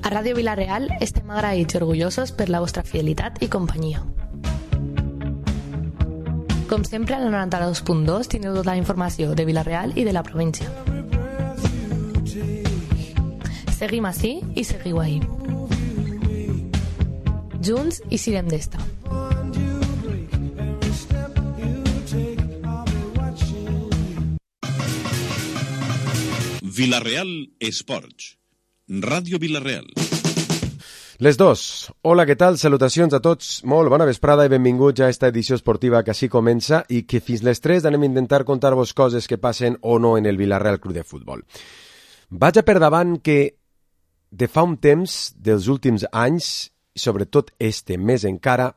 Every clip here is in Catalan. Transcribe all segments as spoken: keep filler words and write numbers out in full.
A Ràdio Vila-real estem agraïts i orgullosos per la vostra fidelitat i companyia. Com sempre, a la noranta-dos punt dos teniu tota la informació de Vila-real i de la província. Seguim ací i seguiu ahí. Junts i sirem d'esta. Vila-real Esports. Ràdio Vila-real. Les dos. Hola, què tal? Salutacions a tots. Molt bona vesprada i benvinguts a esta edició esportiva que així comença i que fins les tres anem a intentar contar-vos coses que passen o no en el Vila-real Club de Futbol. Vaig a per davant que de fa un temps, dels últims anys, i sobretot este mes encara,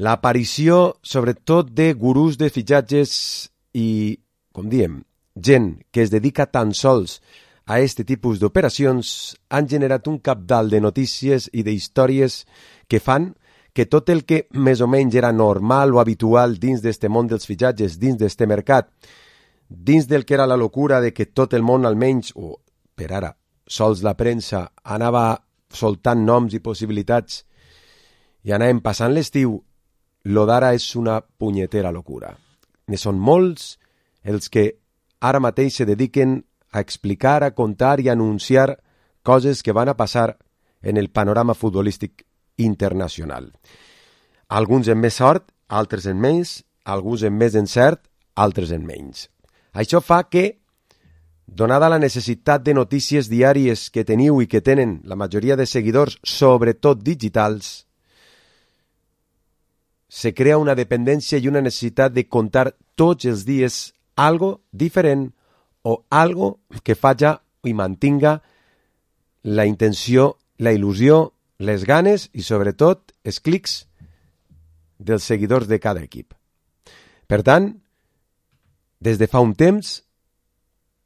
l'aparició sobretot de gurús de fitxatges i, com diem, gent que es dedica tan sols a este tipus d'operacions han generat un cabdal de notícies i d'històries que fan que tot el que més o menys era normal o habitual dins d'este món dels fitxatges, dins d'este mercat, dins del que era la locura de que tot el món almenys, o per ara, sols la premsa, anava soltant noms i possibilitats i anàvem passant l'estiu, lo d'ara és una punyetera locura. Ne són molts els que ara mateix se dediquen a explicar, a contar i a anunciar coses que van a passar en el panorama futbolístic internacional. Alguns en més sort, altres en menys, alguns en més encert, altres en menys. Això fa que, donada la necessitat de notícies diàries que teniu i que tenen la majoria de seguidors, sobretot digitals, se crea una dependència i una necessitat de contar tots els dies algo diferent o algo que faci i mantinga la intenció, la il·lusió, les ganes i, sobretot, els clics dels seguidors de cada equip. Per tant, des de fa un temps,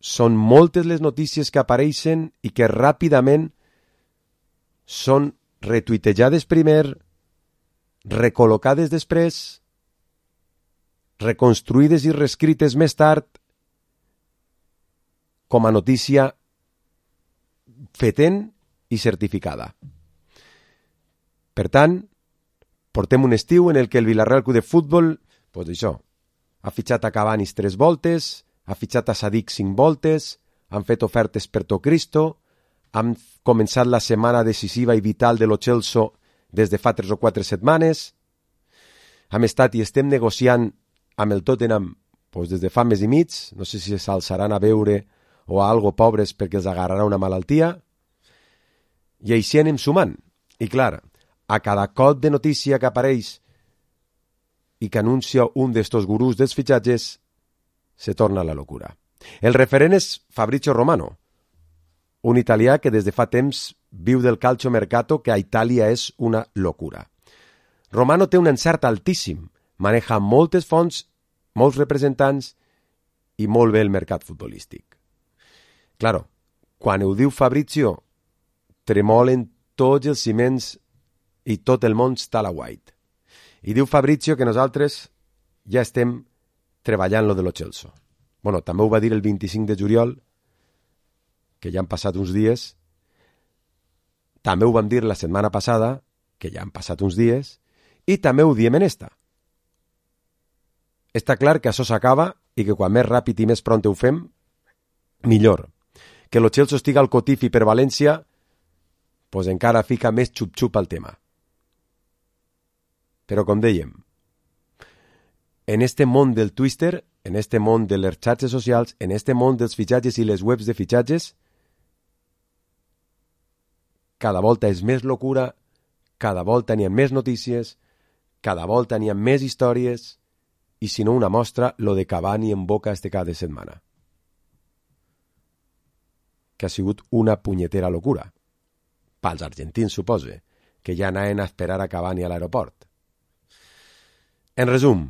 són moltes les notícies que apareixen i que ràpidament són retuitejades primer, recol·locades després, reconstruïdes i reescrites més tard, com a notícia fetent i certificada. Per tant, portem un estiu en el que el Vila-real Club de Futbol, doncs això, ha fitxat a Cabanis tres voltes, ha fitxat a Sadik cinc voltes, han fet ofertes per to Cristo, han començat la setmana decisiva i vital de lo Chelsea des de fa tres o quatre setmanes, hem estat i estem negociant amb el Tottenham doncs des de fa mes i mig, no sé si s'alçaran a veure o a algo pobres perquè els agarrarà una malaltia, i així anem sumant. I clar, a cada cop de notícia que apareix i que anuncia un d'estos gurús dels fitxatges, se torna la locura. El referent és Fabrizio Romano, un italià que des de fa temps viu del calcio mercato, que a Itàlia és una locura. Romano té un encert altíssim, maneja moltes fonts, molts representants i molt bé el mercat futbolístic. Claro, quan ho diu Fabrizio, tremolen tots els ciments i tot el món està a la white. I diu Fabrizio que nosaltres ja estem treballant lo de lo Chelsea. Bueno, també ho va dir el vint-i-cinc de juliol, que ja han passat uns dies. També ho vam dir la setmana passada, que ja han passat uns dies. I també ho diem en esta. Està clar que això s'acaba i que quan més ràpid i més pront ho fem, millor. Que lo Chelsea estiga al Cotifi per València, pues encara fica més xup-xup al tema. Però com dèiem, en este món del Twitter, en este món de les xarxes socials, en este món dels fitxatges i les webs de fitxatges, cada volta és més locura, cada volta n'hi ha més notícies, cada volta n'hi ha més històries, i si no una mostra, lo de Cavani en boca este cada setmana. Que ha sigut una punyetera locura. Pels argentins, supose, que ja anaven a esperar a Cavani a l'aeroport. En resum,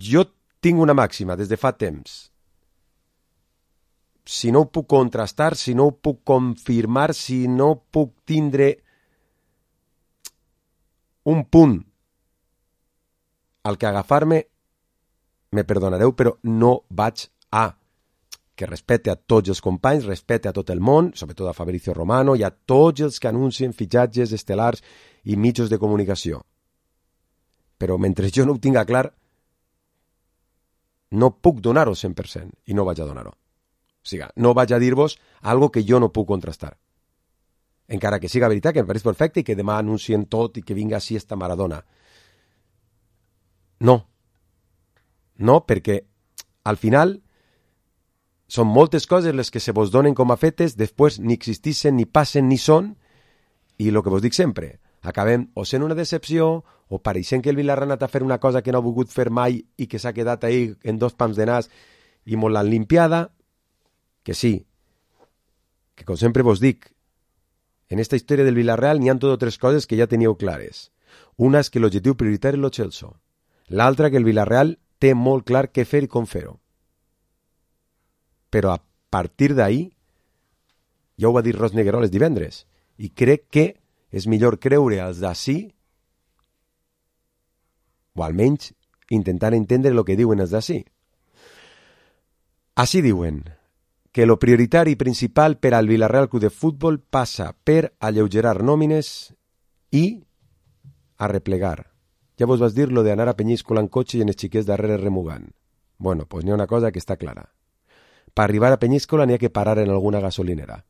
jo tinc una màxima des de fa temps. Si no ho puc contrastar, si no ho puc confirmar, si no puc tindre un punt al que agafar-me, me perdonareu, però no vaig a que respecte a tots els companys, respecte a tot el món, sobretot a Fabrizio Romano i a tots els que anuncien fitxatges estel·lars i mitjos de comunicació. Però mentre jo no ho tinga clar, no puc donar-ho al cent per cent i no vaig a donar-ho. O sigui, no vaig a dir-vos algo que jo no puc contrastar. Encara que siga veritat, que em pareix perfecte i que demà anuncien tot i que vinga així esta Maradona. No. No, perquè al final són moltes coses les que se vos donen com a fetes, després ni existixen, ni passen, ni són, i el que vos dic sempre, acabem o sent una decepció, o pareixent que el Villarreal ha anat a fer una cosa que no ha volgut fer mai i que s'ha quedat ahí en dos pams de nas i molt l'han limpiada, que sí, que com sempre vos dic, en esta història del Villarreal n'hi ha tot o tres coses que ja teníeu clares. Una és que l'objectiu prioritari és lo Chelsea. L'altra que el Villarreal té molt clar què fer i com fer-ho. Però a partir d'ahí, ja ho va dir Ros Negueroles divendres, i crec que és millor creure als d'ací, o almenys intentar entendre el que diuen els d'ací. Així diuen que lo prioritari principal per al Villarreal Club de Futbol passa per alleugerar nòmines i arreplegar. Ja vos vas dir lo de anar a Penyíscola en cotxe i en els xiquets darrere remugant. Bueno, doncs pues n'hi ha una cosa que està clara. Per arribar a Penyíscola n'hi ha que parar en alguna gasolinera.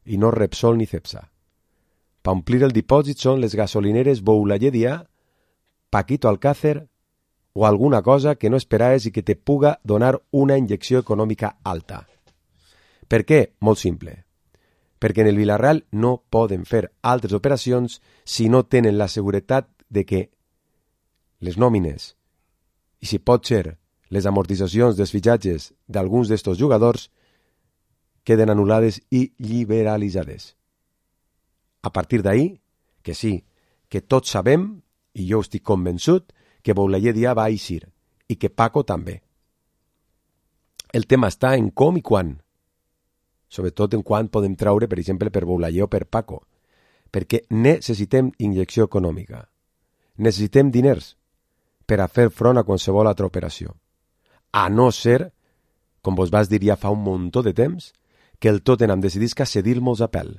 I no Repsol ni Cepsa. Per omplir el dipòsit són les gasolineres Boulaye Dia, Paquito Alcácer o alguna cosa que no esperaves i que te puga donar una injecció econòmica alta. Per què? Molt simple. Perquè en el Villarreal no poden fer altres operacions si no tenen la seguretat de que les nòmines i, si pot ser, les amortitzacions dels fitxatges d'alguns d'estos jugadors queden anul·lades i liberalitzades. A partir d'ahí, que sí, que tots sabem, i jo estic convençut, que Boulaye Dia va eixir i que Paco també. El tema està en com i quan. Sobretot en quan podem traure, per exemple, per Boulaye o per Paco. Perquè necessitem injecció econòmica. Necessitem diners per a fer front a qualsevol altra operació. A no ser, com vos vas dir ja fa un muntó de temps, que el Tottenham decidisca cedir-nos a pèl.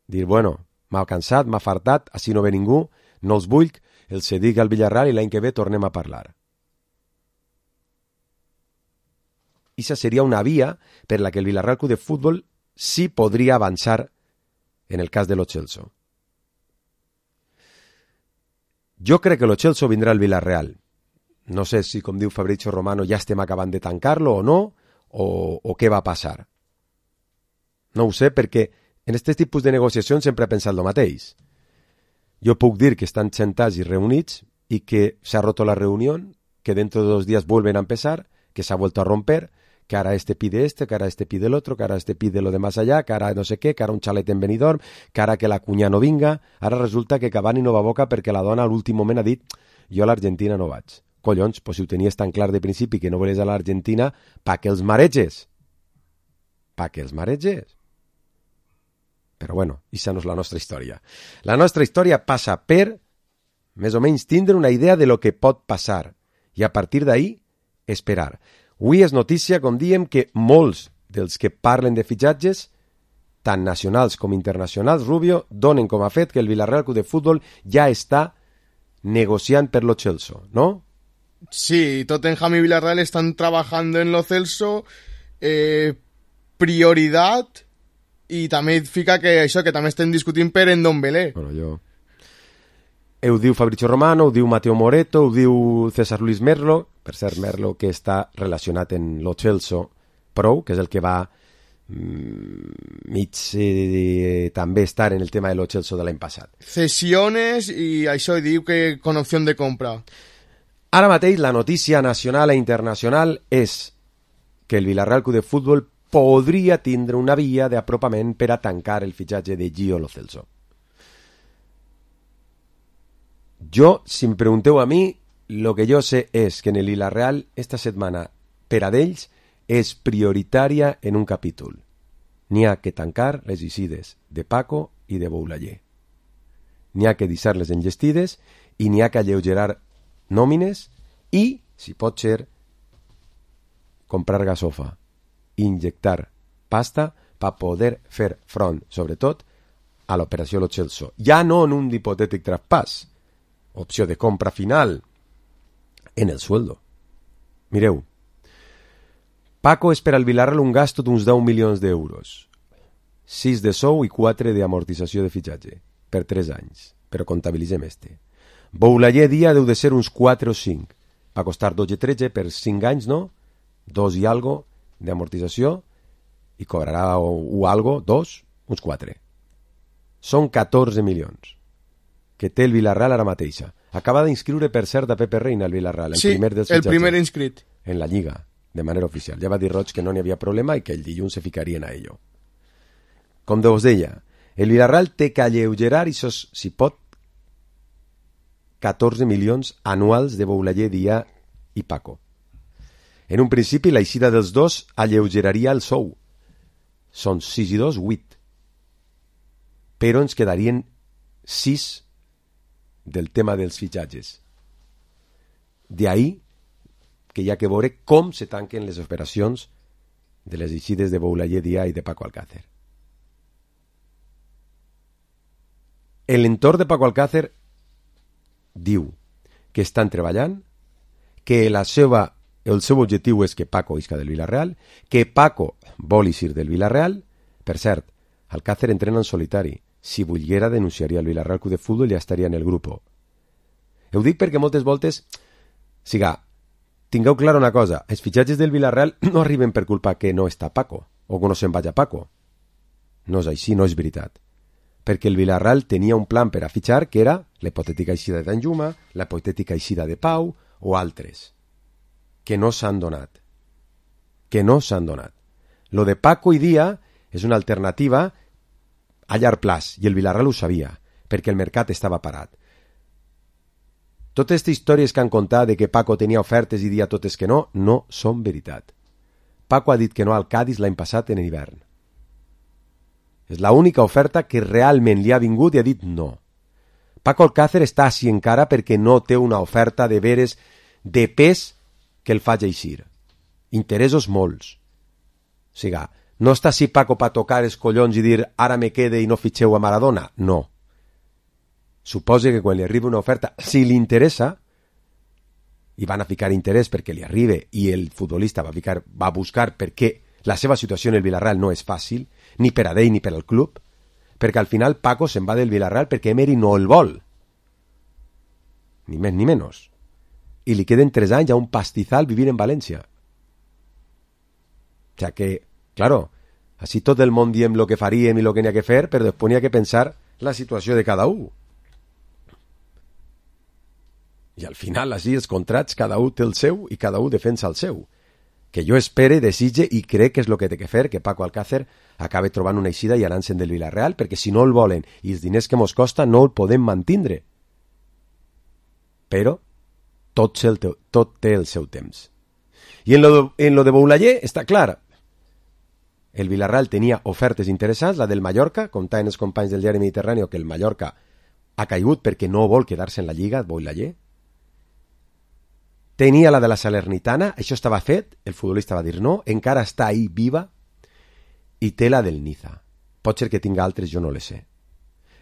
Dir, bueno, m'ha cansat, m'ha fartat, així no ve ningú, no els vull, el cedic al Villarreal i l'any que ve tornem a parlar. Ixa seria una via per la que el Villarreal Club de Futbol sí podria avançar en el cas de lo Chelsea. Jo crec que lo Chelsea vindrà al Villarreal. No sé si, com diu Fabrizio Romano, ja estem acabant de tancar-lo o no, o, o què va passar. No ho sé, perquè en aquest tipus de negociacions sempre he pensat el mateix. Jo puc dir que estan sentats i reunits y que se ha roto la reunión, que dentro de dos días vuelven a empezar, que se ha vuelto a romper, que ahora este pide este, que ahora este pide el otro, que ahora este pide lo de más allá, que ahora no sé qué, que ahora un xalet en Benidorm, que ara que la cunya no vinga. Ara resulta que Cavani no va a boca perquè la dona a l'últim moment ha dit jo a l'Argentina no vaig. Collons, pues si ho tenies tan clar de principi que no volies a l'Argentina, pa que els mareges. Pa que els mareges. Però bueno, ixa no és la nostra història. La nostra història passa per, més o menys, tindre una idea de lo que pot passar i a partir d'ahí esperar. Avui és notícia, com diem, que molts dels que parlen de fitxatges, tant nacionals com internacionals, Rubio, donen com a fet que el Villarreal Club de Futbol ja està negociant per lo Chelsea, ¿no? Sí, Tottenham y Villarreal están trabajando en lo Celso, eh, prioridad, i també fica que això, que també estem discutint per en Ndombele. Bueno, jo... Ho diu Fabrizio Romano, ho diu Mateo Moreto, ho diu César Luis Merlo, per cert, Merlo que està relacionat en lo Chelsea Pro, que és el que va mm, mig eh, també estar en el tema de lo Chelsea de l'any passat. Cesiones i això diu que con opció de compra. Ara mateix la notícia nacional e internacional és que el Villarreal Club de Futbol podria tindre una via d'apropament per a tancar el fitxatge de Gio Lo Celso. Jo, si em pregunteu a mi, lo que jo sé és que en el Villarreal esta setmana per a d'ells és prioritària en un capítol. N'hi ha que tancar les eixides de Paco i de Boulaye. N'hi ha que deixar-les enllestides i n'hi ha que alleugerar nòmines i, si pot ser, comprar gasofa, injectar pasta per poder fer front, sobretot, a l'operació Lo Celso. Ja no en un hipotètic traspàs, opció de compra final, en el sueldo. Mireu, Paco espera al Villarreal un gasto d'uns deu milions d'euros, sis de sou i quatre d'amortització de fitxatge, per tres anys, però comptabilitzem este. Boulaye dia deu de ser uns quatre o cinc, va costar dotze o tretze per cinc anys, no? Dos i algo d'amortització, i cobrarà o, o algo, dos, uns quatre. Són catorze milions que té el Villarreal ara mateixa. Acaba d'inscriure, per cert, a Pepe Reina el Villarreal, el sí, primer dels el fitxatges. primer inscrit. En la Lliga, de manera oficial. Ja va dir Roig que no n'hi havia problema i que el dilluns se ficarien a ello. Com us deia, el Villarreal té que alleugerar, i això, si pot, catorze milions anuals de Boulaye, Dia i Paco. En un principi, l'eixida dels dos alleugeraria el sou. Són sis i dos, vuit. Però ens quedarien sis del tema dels fitxatges. D'ahí que hi ha que veure com se tanquen les operacions de les eixides de Boulaye, Dia i de Paco Alcácer. L'entorn de Paco Alcácer diu que estan treballant, que la seva, el seu objectiu és que Paco isca del Villarreal, que Paco vol eixir del Villarreal. Per cert, Alcácer entrena en solitari. Si volguera, denunciaria el Villarreal Club de Futbol i ja estaria en el grup. Ho dic perquè moltes voltes, siga, tingueu clar una cosa, els fitxatges del Villarreal no arriben per culpa que no està Paco, o que no se'n vagi Paco. No és així, no és veritat. Perquè el Villarreal tenia un plan per a fitxar que era la hipotètica eixida de Danjuma, la hipotètica eixida de Pau o altres, que no s'han donat. Que no s'han donat. Lo de Paco i Dia és una alternativa a llarg plaç, i el Villarreal ho sabia, perquè el mercat estava parat. Totes aquestes històries que han contat de que Paco tenia ofertes i Dia totes que no, no són veritat. Paco ha dit que no al Cádiz l'any passat en hivern. És l'única oferta que realment li ha vingut i ha dit no. Paco Alcácer està així encara perquè no té una oferta de veres de pes que el faci eixir. Interessos molts. O sigui, no està així Paco per tocar els collons i dir ara me quede i no fitxeu a Maradona. No. Suposa que quan li arriba una oferta, si li interessa, i van a ficar interès perquè li arribi i el futbolista va, ficar, va buscar perquè la seva situació en el Villarreal no és fàcil, ni per a ell ni per al club, perquè al final Paco se'n va del Villarreal perquè Emery no el vol. Ni més ni menys. I li queden tres anys a un pastizal vivir en València. O sea que, claro, així tot el món diem lo que faríem i lo que n'hi ha que fer, però després n'hi ha que pensar la situació de cada un. I al final, així, els contrats, cada un té el seu i cada un defensa el seu. Que jo espere, desitge i crec que és el que té que fer, que Paco Alcácer acabe trobant una eixida i anant-se'n del Villarreal, perquè si no el volen i els diners que mos costa no el podem mantindre. Però tot, el teu, tot té el seu temps. I en lo, de, en lo de Boulaye està clar. El Villarreal tenia ofertes interessants, la del Mallorca, comptant els companys del diari Mediterrani que el Mallorca ha caigut perquè no vol quedar-se en la Lliga, Boulaye. Tenia la de la Salernitana, això estava fet, el futbolista va dir no, encara està ahí viva, i té la del Niza. Pot ser que tinga altres, jo no les sé.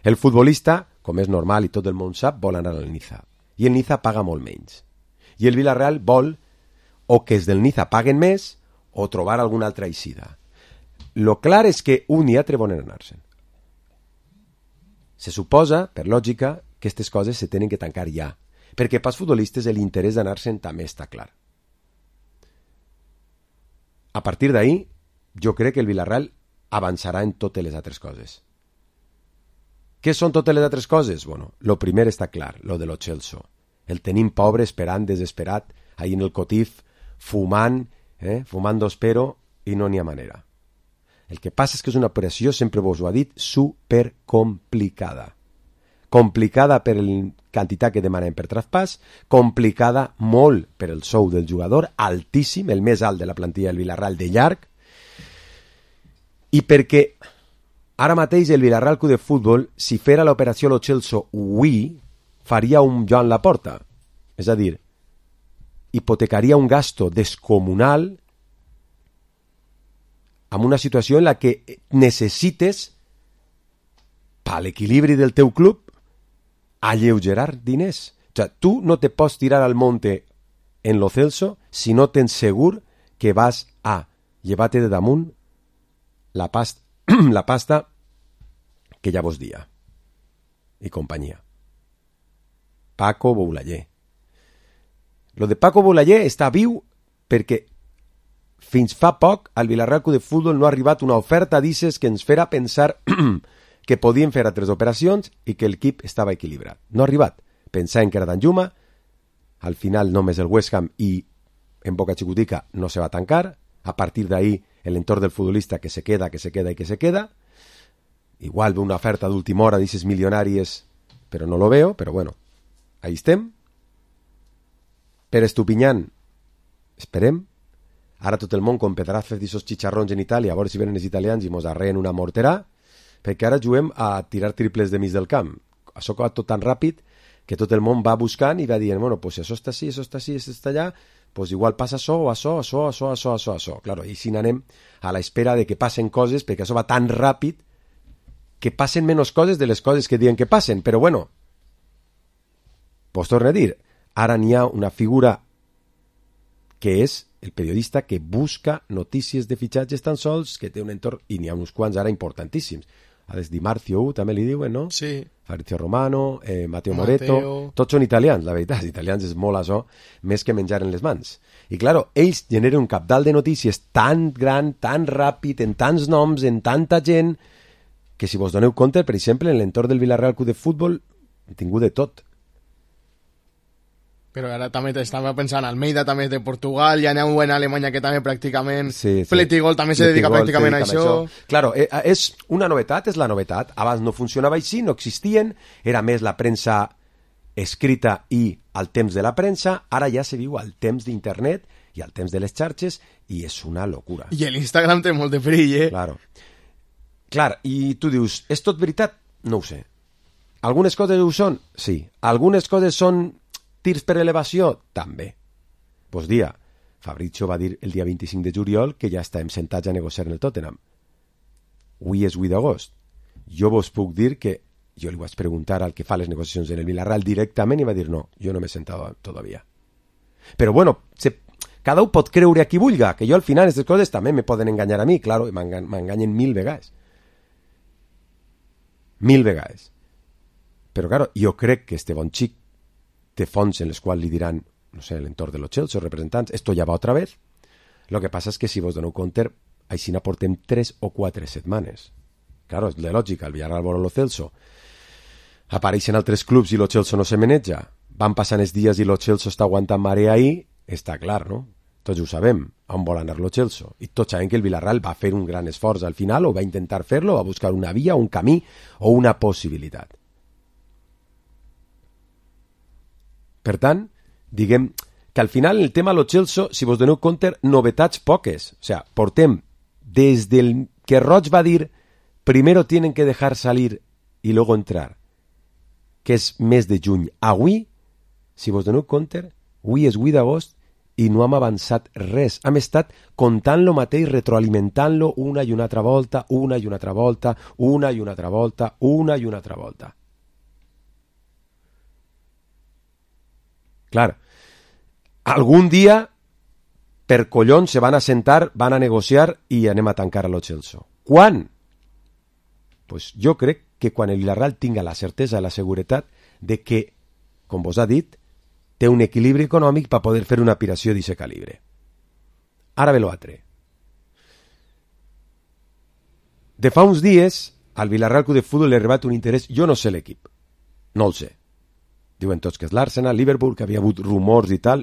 El futbolista, com és normal i tot el món sap, vol anar al Niza. I el Niza paga molt menys. I el Villarreal vol o que els del Niza paguen més o trobar alguna altra eixida. Lo clar és que un i altre volen anar-se'n. Se suposa, per lògica, que aquestes coses se tenen que tancar ja, perquè pels futbolistes l'interès d'anar-se'n també està clar. A partir d'ahí, jo crec que el Villarreal avançarà en totes les altres coses. Què són totes les altres coses? Bueno, lo primer està clar, lo de Lo Celso. El tenim pobre, esperant, desesperat, ahí en el cotif, fumant, eh? fumant d'ospero, i no n'hi ha manera. El que passa és que és una operació, sempre vos ho ha dit, supercomplicada. Complicada per la quantitat que demanem per traspàs, complicada molt per el sou del jugador, altíssim, el més alt de la plantilla del Villarreal de llarg, i perquè ara mateix el Villarreal Club de Futbol, si fera l'operació Lo Celso avui, faria un Joan Laporta, és a dir, hipotecaria un gasto descomunal en una situació en la que necessites, per l'equilibri del teu club, alleugerar diners. O sea, tu no te pots tirar al monte en lo Celso si no tens segur que vas a llevar-te de damunt la pasta, la pasta que ja vos dia i companyia. Paco Boulayer. Lo de Paco Boulayer està viu perquè fins fa poc al Villarreal Club de Futbol no ha arribat una oferta d'Ises que ens fera pensar que podien fer altres operacions i que l'equip estava equilibrat. No ha arribat. Pensàvem que era Danjuma, al final només el West Ham i en Boca Xicotica no se va tancar, a partir d'ahí l'entorn del futbolista que se queda, que se queda i que se queda. Igual ve una oferta d'última hora d'Ises milionàries, però no lo veo, però bueno, ahí estem. Per Estupiñán, esperem. Ara tot el món com pedrazos d'issos xicharrons en Itàlia, a veure si venen els italians i mos arreen una morterà, perquè ara juguem a tirar triples de mig del camp. Això va tot tan ràpid que tot el món va buscant i va dient, bueno, pues si això està així, això està així, això està allà, pues igual passa això, o això, això, això, això, això, això. Claro, i si anem a l'espera de que passen coses, perquè això va tan ràpid que passen menys coses de les coses que diuen que passen, però bueno, pues torno a dir, ara n'hi ha una figura que és el periodista que busca notícies de fitxatges tan sols, que té un entorn, i n'hi ha uns quants ara importantíssims. A des Di Marzio també li diuen, no? Sí. Fabrizio Romano, eh, Matteo Matteo. Moretto, tots són italians, la veritat, els italians és molt això, més que menjar en les mans. I claro, ells generen un cabdal de notícies tan gran, tan ràpid, en tants noms, en tanta gent, que si vos doneu compte, per exemple, en l'entorn del Villarreal Club de Futbol, he tingut de tot. Però ara també estava pensant, Almeida també és de Portugal, ja n'hi ha un en Alemanya que també pràcticament... Sí, sí. Fletigol també se dedica Fletigol pràcticament a dedica això. això. Claro, eh, és una novetat, és la novetat. Abans no funcionava així, no existien, era més la premsa escrita i al temps de la premsa, ara ja se viu al temps d'internet i al temps de les xarxes i és una locura. I l'Instagram té molt de perill, eh? Claro. Clar, i tu dius, és tot veritat? No ho sé. Algunes coses ho són? Sí. Algunes coses són tirs per elevació? També. Pues dia, Fabrizio va dir el dia vint-i-cinc de juliol que ja estem sentats a negociar en el Tottenham. Avui és vuit d'agost. Jo vos puc dir que jo li vaig preguntar al que fa les negociacions en el Villarreal directament i va dir no, jo no m'he sentat todavía. Però bueno, se, cada un pot creure a qui vulga, que jo al final aquestes coses també me poden enganyar a mi, claro, m'enganyen mil vegades. Mil vegades. Però claro, jo crec que este bon xic té fonts en les quals li diran, no sé, l'entorn de los Chelsea, representants, esto ya va otra vez. Lo que passa és que si vos doneu compte, així n'aportem tres o quatre setmanes. Claro, és de lògica, el Villarreal vol lo Celso. Apareixen altres clubs i lo Chelsea no se maneja. Van passant els dies i lo Chelsea està aguantant marea ahí, està clar, no? Tots ho sabem, on vol anar lo Chelsea. I tots sabem que el Villarreal va fer un gran esforç al final, o va intentar fer-lo, va buscar una via, un camí o una possibilitat. Per tant, diguem que al final el tema lo Chelsea, si vos doneu compte, novetats poques. O sea, portem des del que Roig va dir primero tienen que dejar salir y luego entrar, que és mes de juny. Avui, si vos doneu compte, avui és vuit d'agost i no hem avançat res. Hem estat contant lo mateix, retroalimentant-lo una i una altra volta, una i una altra volta, una i una altra volta, una i una altra volta. Clar, algun dia, per collons, se van a sentar, van a negociar i anem a tancar a lo Chelsea. Quan? Pues jo crec que quan el Villarreal tinga la certesa i la seguretat de que, com vos ha dit, té un equilibri econòmic per poder fer una operació d'aquest calibre. Ara ve l'altre. De fa uns dies, al Villarreal Club de Futbol li ha arribat un interès, jo no sé l'equip, no el sé. Diuen tots que és l'Arsenal, Liverpool, que havia hagut rumors i tal.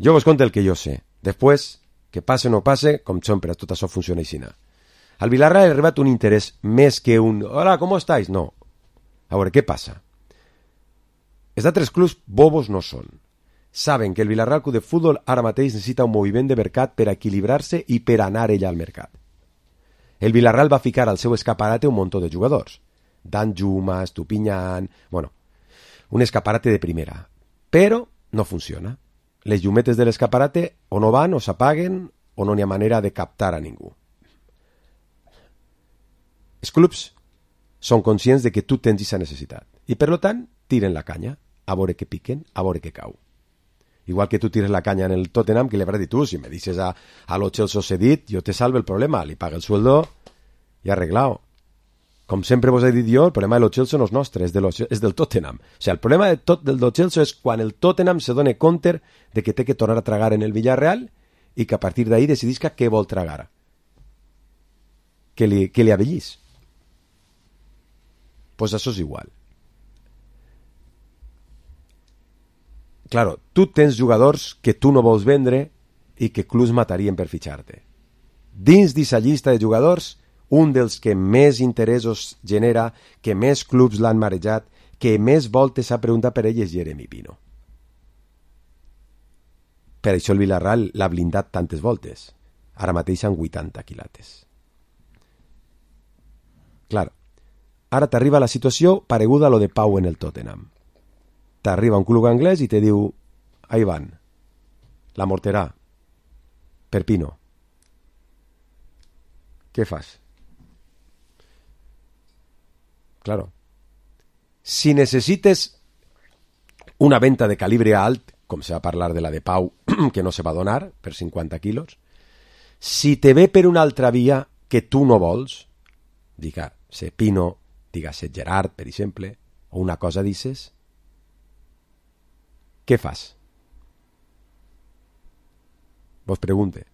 Jo vos conto el que jo sé. Després, que passe o no passe, com sempre, tot això funciona així. Al Villarreal ha arribat un interès més que un «Hola, ¿cómo estáis?» No. A veure, què passa? Els altres clubs bobos no són. Saben que el Villarreal Club de Futbol ara mateix necessita un moviment de mercat per equilibrar-se i per anar ella al mercat. El Villarreal va ficar al seu escaparate un muntó de jugadors. Danjuma, Estupiñán... Bueno, un escaparate de primera. Però no funciona. Les llumetes de l'escaparate o no van o s'apaguen o no n'hi ha manera de captar a ningú. Els clubs són conscients de que tu tens aquesta necessitat i, per tant, tiren la canya a veure que piquen, a veure que cau. Igual que tu tires la canya en el Tottenham, que le habrás dit tu, si me dices a, a lo Chelsea cedit, yo te salvo el problema, li paga el sueldo i arreglado. Com sempre vos he dit jo, el problema de lo Chelsea no és nostre, és, de lo, és del Tottenham. O sigui, el problema de tot, del lo Chelsea és quan el Tottenham se dona compte de que té que tornar a tragar en el Villarreal i que a partir d'ahí decidisca què vol tragar. Que li, que li avellís. Pues això és igual. Claro, tu tens jugadors que tu no vols vendre i que clubs matarien per fitxar-te. Dins d'aquesta llista de jugadors, un dels que més interessos genera, que més clubs l'han marejat, que més voltes s'ha preguntat per ell és Jeremy Pino. Per això el Villarreal l'ha blindat tantes voltes. Ara mateix han vuitanta quilates. Clar, ara t'arriba la situació pareguda a lo de Pau en el Tottenham. T'arriba un club anglès i te diu, ahí van, la morterà, per Pino. Què fas? Claro. Si necessites una venta de calibre alt, com se va parlar de la de Pau, que no se va donar per cinquanta quilos, si te ve per una altra via que tu no vols, diga-se Pino, diga-se Gerard, per exemple, o una cosa dices, què fas? Vos pregunte.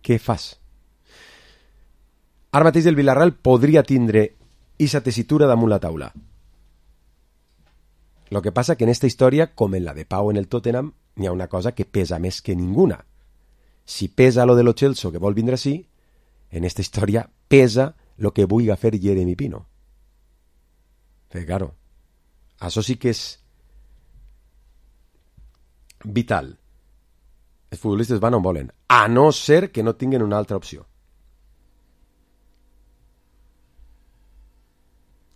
Què fas? Ara mateix el Villarreal podria tindre esa tesitura damunt la taula. Lo que passa que en esta història, com en la de Pau en el Tottenham, n'hi ha una cosa que pesa més que ninguna. Si pesa lo de lo Chelsea que vol vindre així, en esta història pesa lo que vulgui fer Jeremy Pino. Perquè, claro, això sí que és vital. Els futbolistes van on volen, a no ser que no tinguin una altra opció.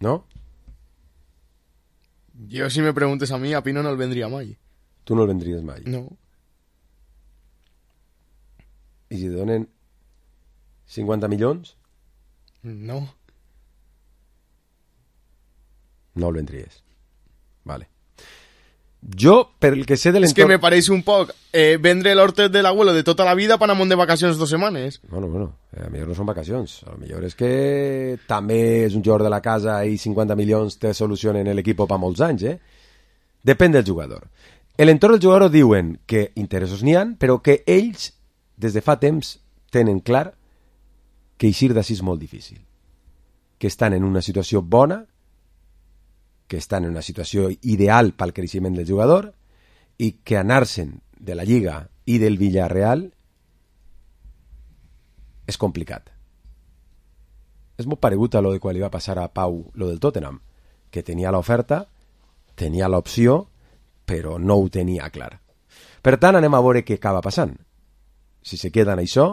¿No? Yo, si me preguntes a mí, a Pino no el vendría mai. Tu no el vendries mai. No. I si te donen cinquanta milions? No. No el vendries. Vale. Jo, per el que sé de Es que l'entorn... me parece un poc eh, vendre l'hortet de l'abuelo de tota la vida per anar de vacacions dos setmanes. Bueno, bueno, a lo millor no són vacacions. A lo millor és que també és un jugador de la casa i cinquanta milions te solucionen l'equip per molts anys, eh? Depèn del jugador. L'entorn del jugador diuen que interessos n'hi han, però que ells, des de fa temps, tenen clar que eixir d'ací és molt difícil. Que estan en una situació bona, que estan en una situació ideal pel creixement del jugador i que anar-se'n de la Lliga i del Villarreal és complicat. És molt paregut a lo de quan li va passar a Pau lo del Tottenham, que tenia l'oferta, tenia l'opció, però no ho tenia clar. Per tant, anem a veure què acaba passant. Si se queda en això,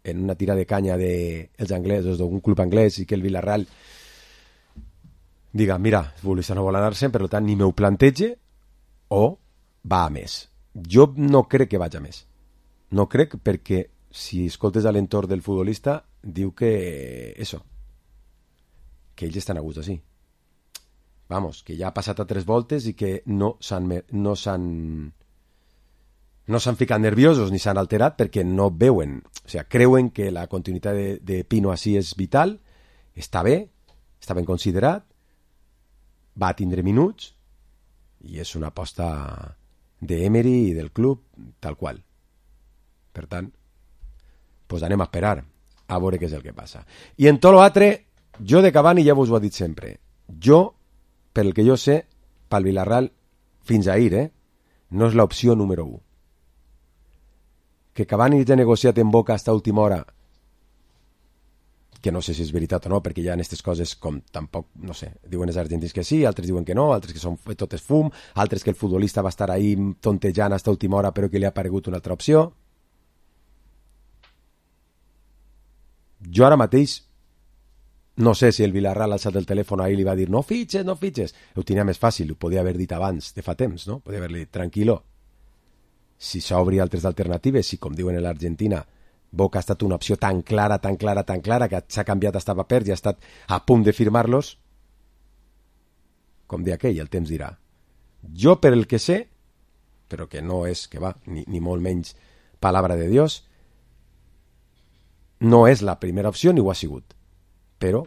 en una tira de canya dels anglesos, d'un club anglès, i que el Villarreal diga, mira, el futbolista no vol anar-se'n, per tant, ni m'ho plantege, o va a més. Jo no crec que vaig a més. No crec perquè, si escoltes a l'entorn del futbolista, diu que, eso, que ells estan a gust així. Vamos, que ja ha passat a tres voltes i que no s'han no s'han no s'han ficat nerviosos ni s'han alterat perquè no veuen, o sigui, creuen que la continuïtat de, de Pino així és vital, està bé, està ben considerat, va a tindre minuts i és una aposta d'Emery i del club tal qual. Per tant, pues anem a esperar a veure què és el que passa. I en tot l'altre, jo de Cavani ja vos ho he dit sempre. Jo, per el que jo sé, pel Villarreal, fins ahir, eh, no és l'opció número u. Que Cavani ja ha negociat en Boca hasta última hora, que no sé si és veritat o no, perquè ja en aquestes coses com tampoc, no sé, diuen els argentins que sí, altres diuen que no, altres que són tot és fum, altres que el futbolista va estar ahí tontejant hasta última hora però que li ha aparegut una altra opció. Jo ara mateix no sé si el Villarreal ha alçat el telèfon ahir i li va dir no fitxes, no fitxes. Ho tenia més fàcil, ho podia haver dit abans de fa temps, no? Podia haver-li dit tranquil·lo. Si s'obri altres alternatives, si com diuen a l'Argentina Boca ha estat una opció tan clara, tan clara, tan clara, que s'ha canviat hasta papers i ha estat a punt de firmar-los. Com de aquell, el temps dirà. Jo, per el que sé, però que no és, que va, ni, ni molt menys palabra de Dios, no és la primera opció ni ho ha sigut. Però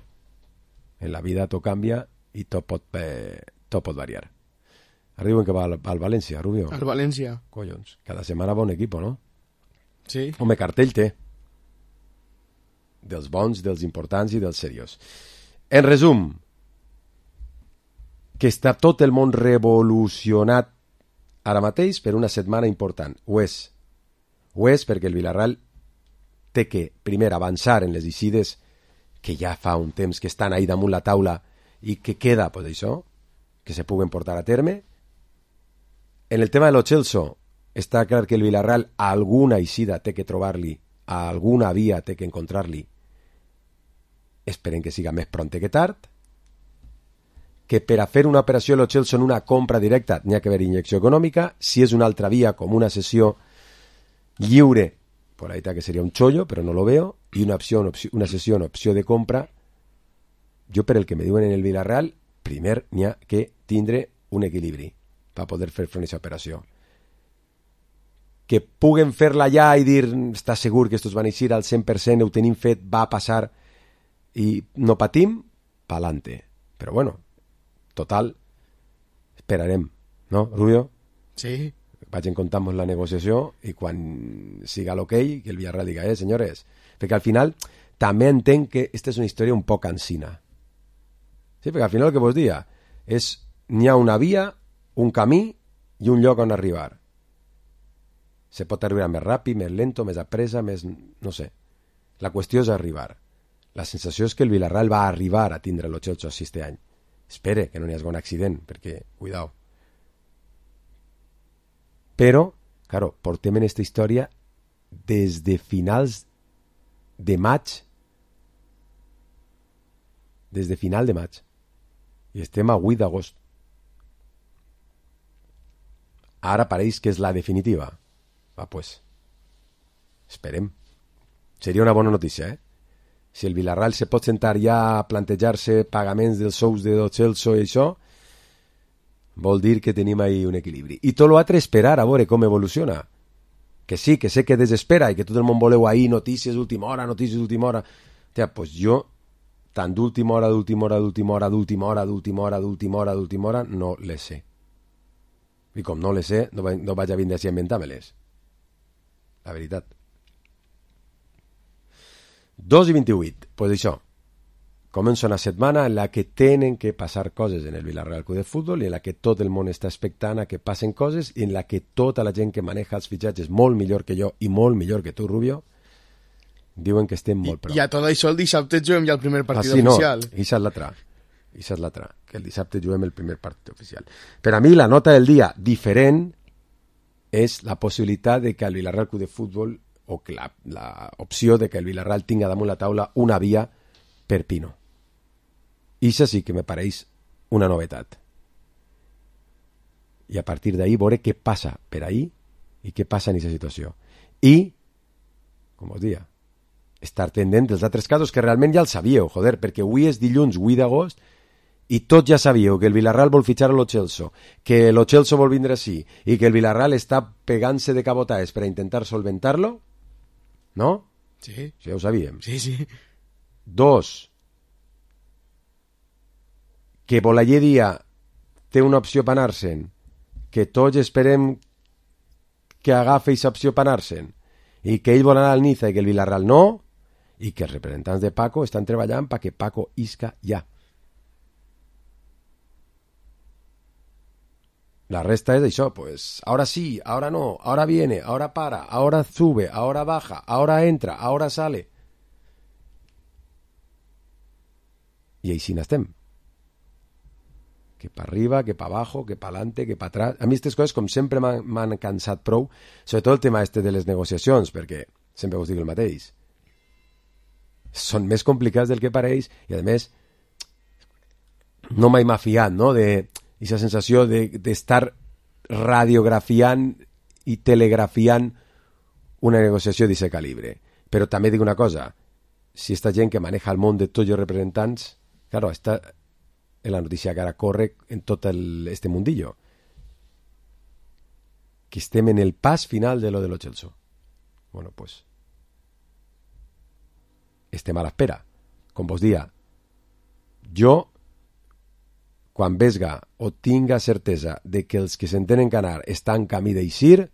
en la vida tot canvia i tot pot, eh, tot pot variar. Ara diuen que va al, al València, Rubio. Al València. Collons, cada setmana bon equip, no? Sí. Home, cartell té. Dels bons, dels importants i dels serios. En resum, que està tot el món revolucionat ara mateix per una setmana important. Ho és. Ho és perquè el Villarreal té que, primer, avançar en les eixides que ja fa un temps que estan ahí damunt la taula i que queda, pues això, que se puguen portar a terme. En el tema de lo Celso, està clar que el Villarreal alguna eixida té que trobar-li, alguna via té que encontrar-li. Esperem que siga més pront que tard. Que per a fer una operació lo Celso en una compra directa n'hi ha que haver injecció econòmica. Si és una altra via, com una sessió lliure, por ahí está que sería un chollo, pero no lo veo, y una opción, opció, una sessió, opció de compra. Jo, per el que me diuen en el Villarreal, primer n'hi ha que tindre un equilibri per poder fer front a aquesta operació. Que puguen fer-la ja i dir, està segur que estos van eixir al cent per cent, ho tenim fet, va passar i no patim, pa'lante. Però bueno, total, esperarem, no, Rubio? Sí. Vaig en comptar la negociació i quan siga l'ok, que el Villarreal diga, eh, senyores, perquè al final també entenc que esta és una història un poc cansina. Sí, perquè al final el que vos dia és, n'hi ha una via, un camí i un lloc on arribar. Se pot arribar més ràpid, més lento, més apresa, més... no sé. La qüestió és arribar. La sensació és que el Villarreal va arribar a tindre el Celso este any. Espere que no n'hi hagi un accident, perquè, cuidao. Però, claro, portem en esta història des de finals de maig, des de final de maig, i estem a vuit d'agost. Ara pareix que és la definitiva. Va, pues, esperem. Seria una bona notícia, eh? Si el Villarreal se pot sentar ja a plantejar-se pagaments dels sous de Lo Celso i això, vol dir que tenim ahí un equilibri. I tot l'altre esperar a veure com evoluciona. Que sí, que sé que desespera i que tot el món voleu ahí notícies d'última hora, notícies d'última hora. Tia, pues jo, tant d'última hora, d'última hora, d'última hora, d'última hora, d'última hora, d'última hora, d'última hora, no les sé. I com no les sé, no, va, no vaig a vindre així a inventar-me-les. La veritat. dos i vint-i-vuit. Pues això. Comença una setmana en la que tenen que passar coses en el Villarreal Club de Futbol i en la que tot el món està expectant a que passen coses i en la que tota la gent que maneja els fitxatges molt millor que jo i molt millor que tu, Rubio, diuen que estem molt prou. I a tot això el dissabte juguem ja el primer partit ah, sí, oficial. No, i és l'altre. I és l'altre, que el dissabte juguem el primer partit oficial. Per a mi la nota del dia diferent és la possibilitat de que el Villarreal Club de Futbol o que la, la opció de que el Villarreal tinga damunt la taula una via per Pino. I això sí que me pareix una novetat. I a partir d'ahí veure què passa per ahí i què passa en aquesta situació. I, com us dia, estar tendent dels altres casos que realment ja els sabíeu, joder, perquè avui és dilluns vuit d'agost i tots ja sabíeu que el Villarreal vol fitxar a Lo Celso, que Lo Celso vol vindre així i que el Villarreal està pegant-se de cabotaes per a intentar solventar-lo, no? Sí. Sí, ja ho sabíem. Sí, sí. Dos, que Bolaller Dia té una opció per anar-se'n, que tots esperem que agafi aquesta opció per anar-se'n, i que ell vol anar al Niza i que el Villarreal no, i que els representants de Paco estan treballant perquè Paco isca ja. La resta es això, pues, ahora sí, ahora no, ahora viene, ahora para, ahora sube, ahora baja, ahora entra, ahora sale. I així n'estem. Que pa arriba, que pa abajo, que pa adelante, que pa atrás. A mi aquestes coses, com sempre, m'han cansat prou, sobretot el tema este de les negociacions, perquè sempre us dic el mateix. Són més complicats del que pareix i, a més, no mai m'ha fiat, no?, de... aquesta sensació d'estar de, radiografiant i telegrafiant una negociació d'aquest calibre. Però també dic una cosa, si esta gent que maneja el món de tots els representants, claro, esta és la notícia que ara corre en tot el, este mundillo, que estem en el pas final de lo de lo Chelsea. Bueno, pues estem a l'espera. Com vos dia, jo quan vesga o tinga certesa de que els que s'entenen canar estan camí d'eixir,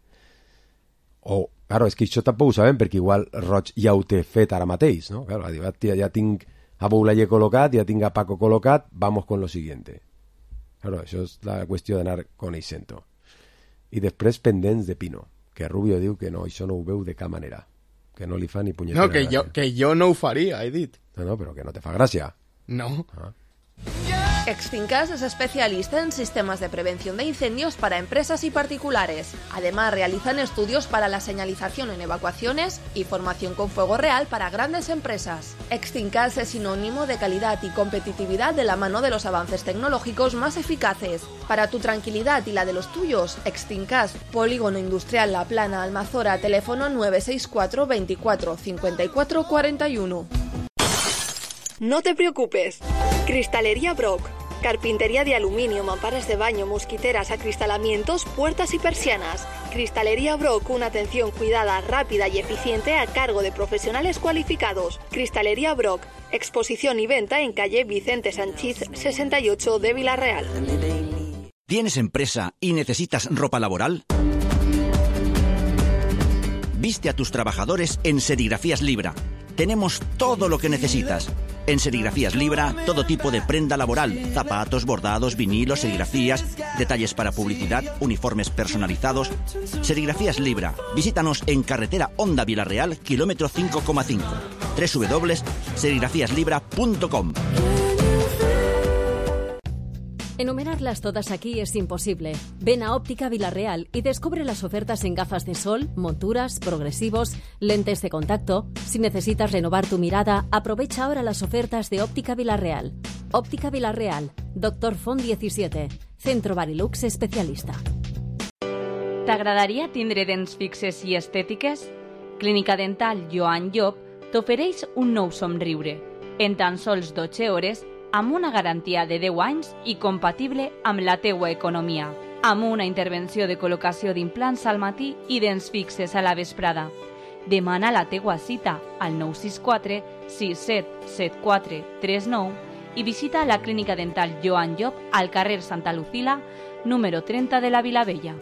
o, claro, és que això tampoc ho sabem, perquè igual Roig ja ho té fet ara mateix, no? Claro, ja, ja tinc a Boulaye col·locat, ja tinc a Paco col·locat, vamos con lo siguiente. Claro, això és la qüestió d'anar coneixent-ho. I després pendents de Pino, que Rubio diu que no, això no ho veu de cap manera, que no li fa ni punyetera no, que gràcia. Jo, que jo no ho faria, he dit. No, no, però que no te fa gràcia. No. Ah. Extincas es especialista en sistemas de prevención de incendios para empresas y particulares. Además, realizan estudios para la señalización en evacuaciones y formación con fuego real para grandes empresas. Extincas es sinónimo de calidad y competitividad de la mano de los avances tecnológicos más eficaces. Para tu tranquilidad y la de los tuyos, Extincas, Polígono Industrial La Plana, Almazora, teléfono nueve seis cuatro veinticuatro cincuenta y cuatro cuarenta y uno. No te preocupes. Cristalería Brock. Carpintería de aluminio, mamparas de baño, mosquiteras, acristalamientos, puertas y persianas. Cristalería Brock, una atención cuidada, rápida y eficiente a cargo de profesionales cualificados. Cristalería Brock. Exposición y venta en calle Vicente Sanchís sesenta y ocho de Villarreal. ¿Tienes empresa y necesitas ropa laboral? Viste a tus trabajadores en Serigrafías Libra. Tenemos todo lo que necesitas. En Serigrafías Libra, todo tipo de prenda laboral, zapatos, bordados, vinilos, serigrafías, detalles para publicidad, uniformes personalizados. Serigrafías Libra. Visítanos en carretera Honda Villarreal, kilómetro cinco coma cinco. doble u doble u doble u punto serigrafías libra punto com. Enumerarlas todas aquí es imposible. Ven a Óptica Villarreal y descubre las ofertas en gafas de sol, monturas, progresivos, lentes de contacto. Si necesitas renovar tu mirada, aprovecha ahora las ofertas de Óptica Villarreal. Óptica Villarreal, Doctor Font diecisiete, Centro Barilux especialista. T'agradaria tindre dents fixes i estètiques? Clínica Dental Joan Llop t'ofereix un nou somriure. En tan sols dotze hores, amb una garantia de deu anys i compatible amb la teua economia, amb una intervenció de col·locació d'implants al matí i dents fixes a la vesprada. Demana la teua cita al nou sis quatre sis set set quatre tres nou i visita la Clínica Dental Joan Llop al carrer Santa Lucila, número treinta de la Vilavella.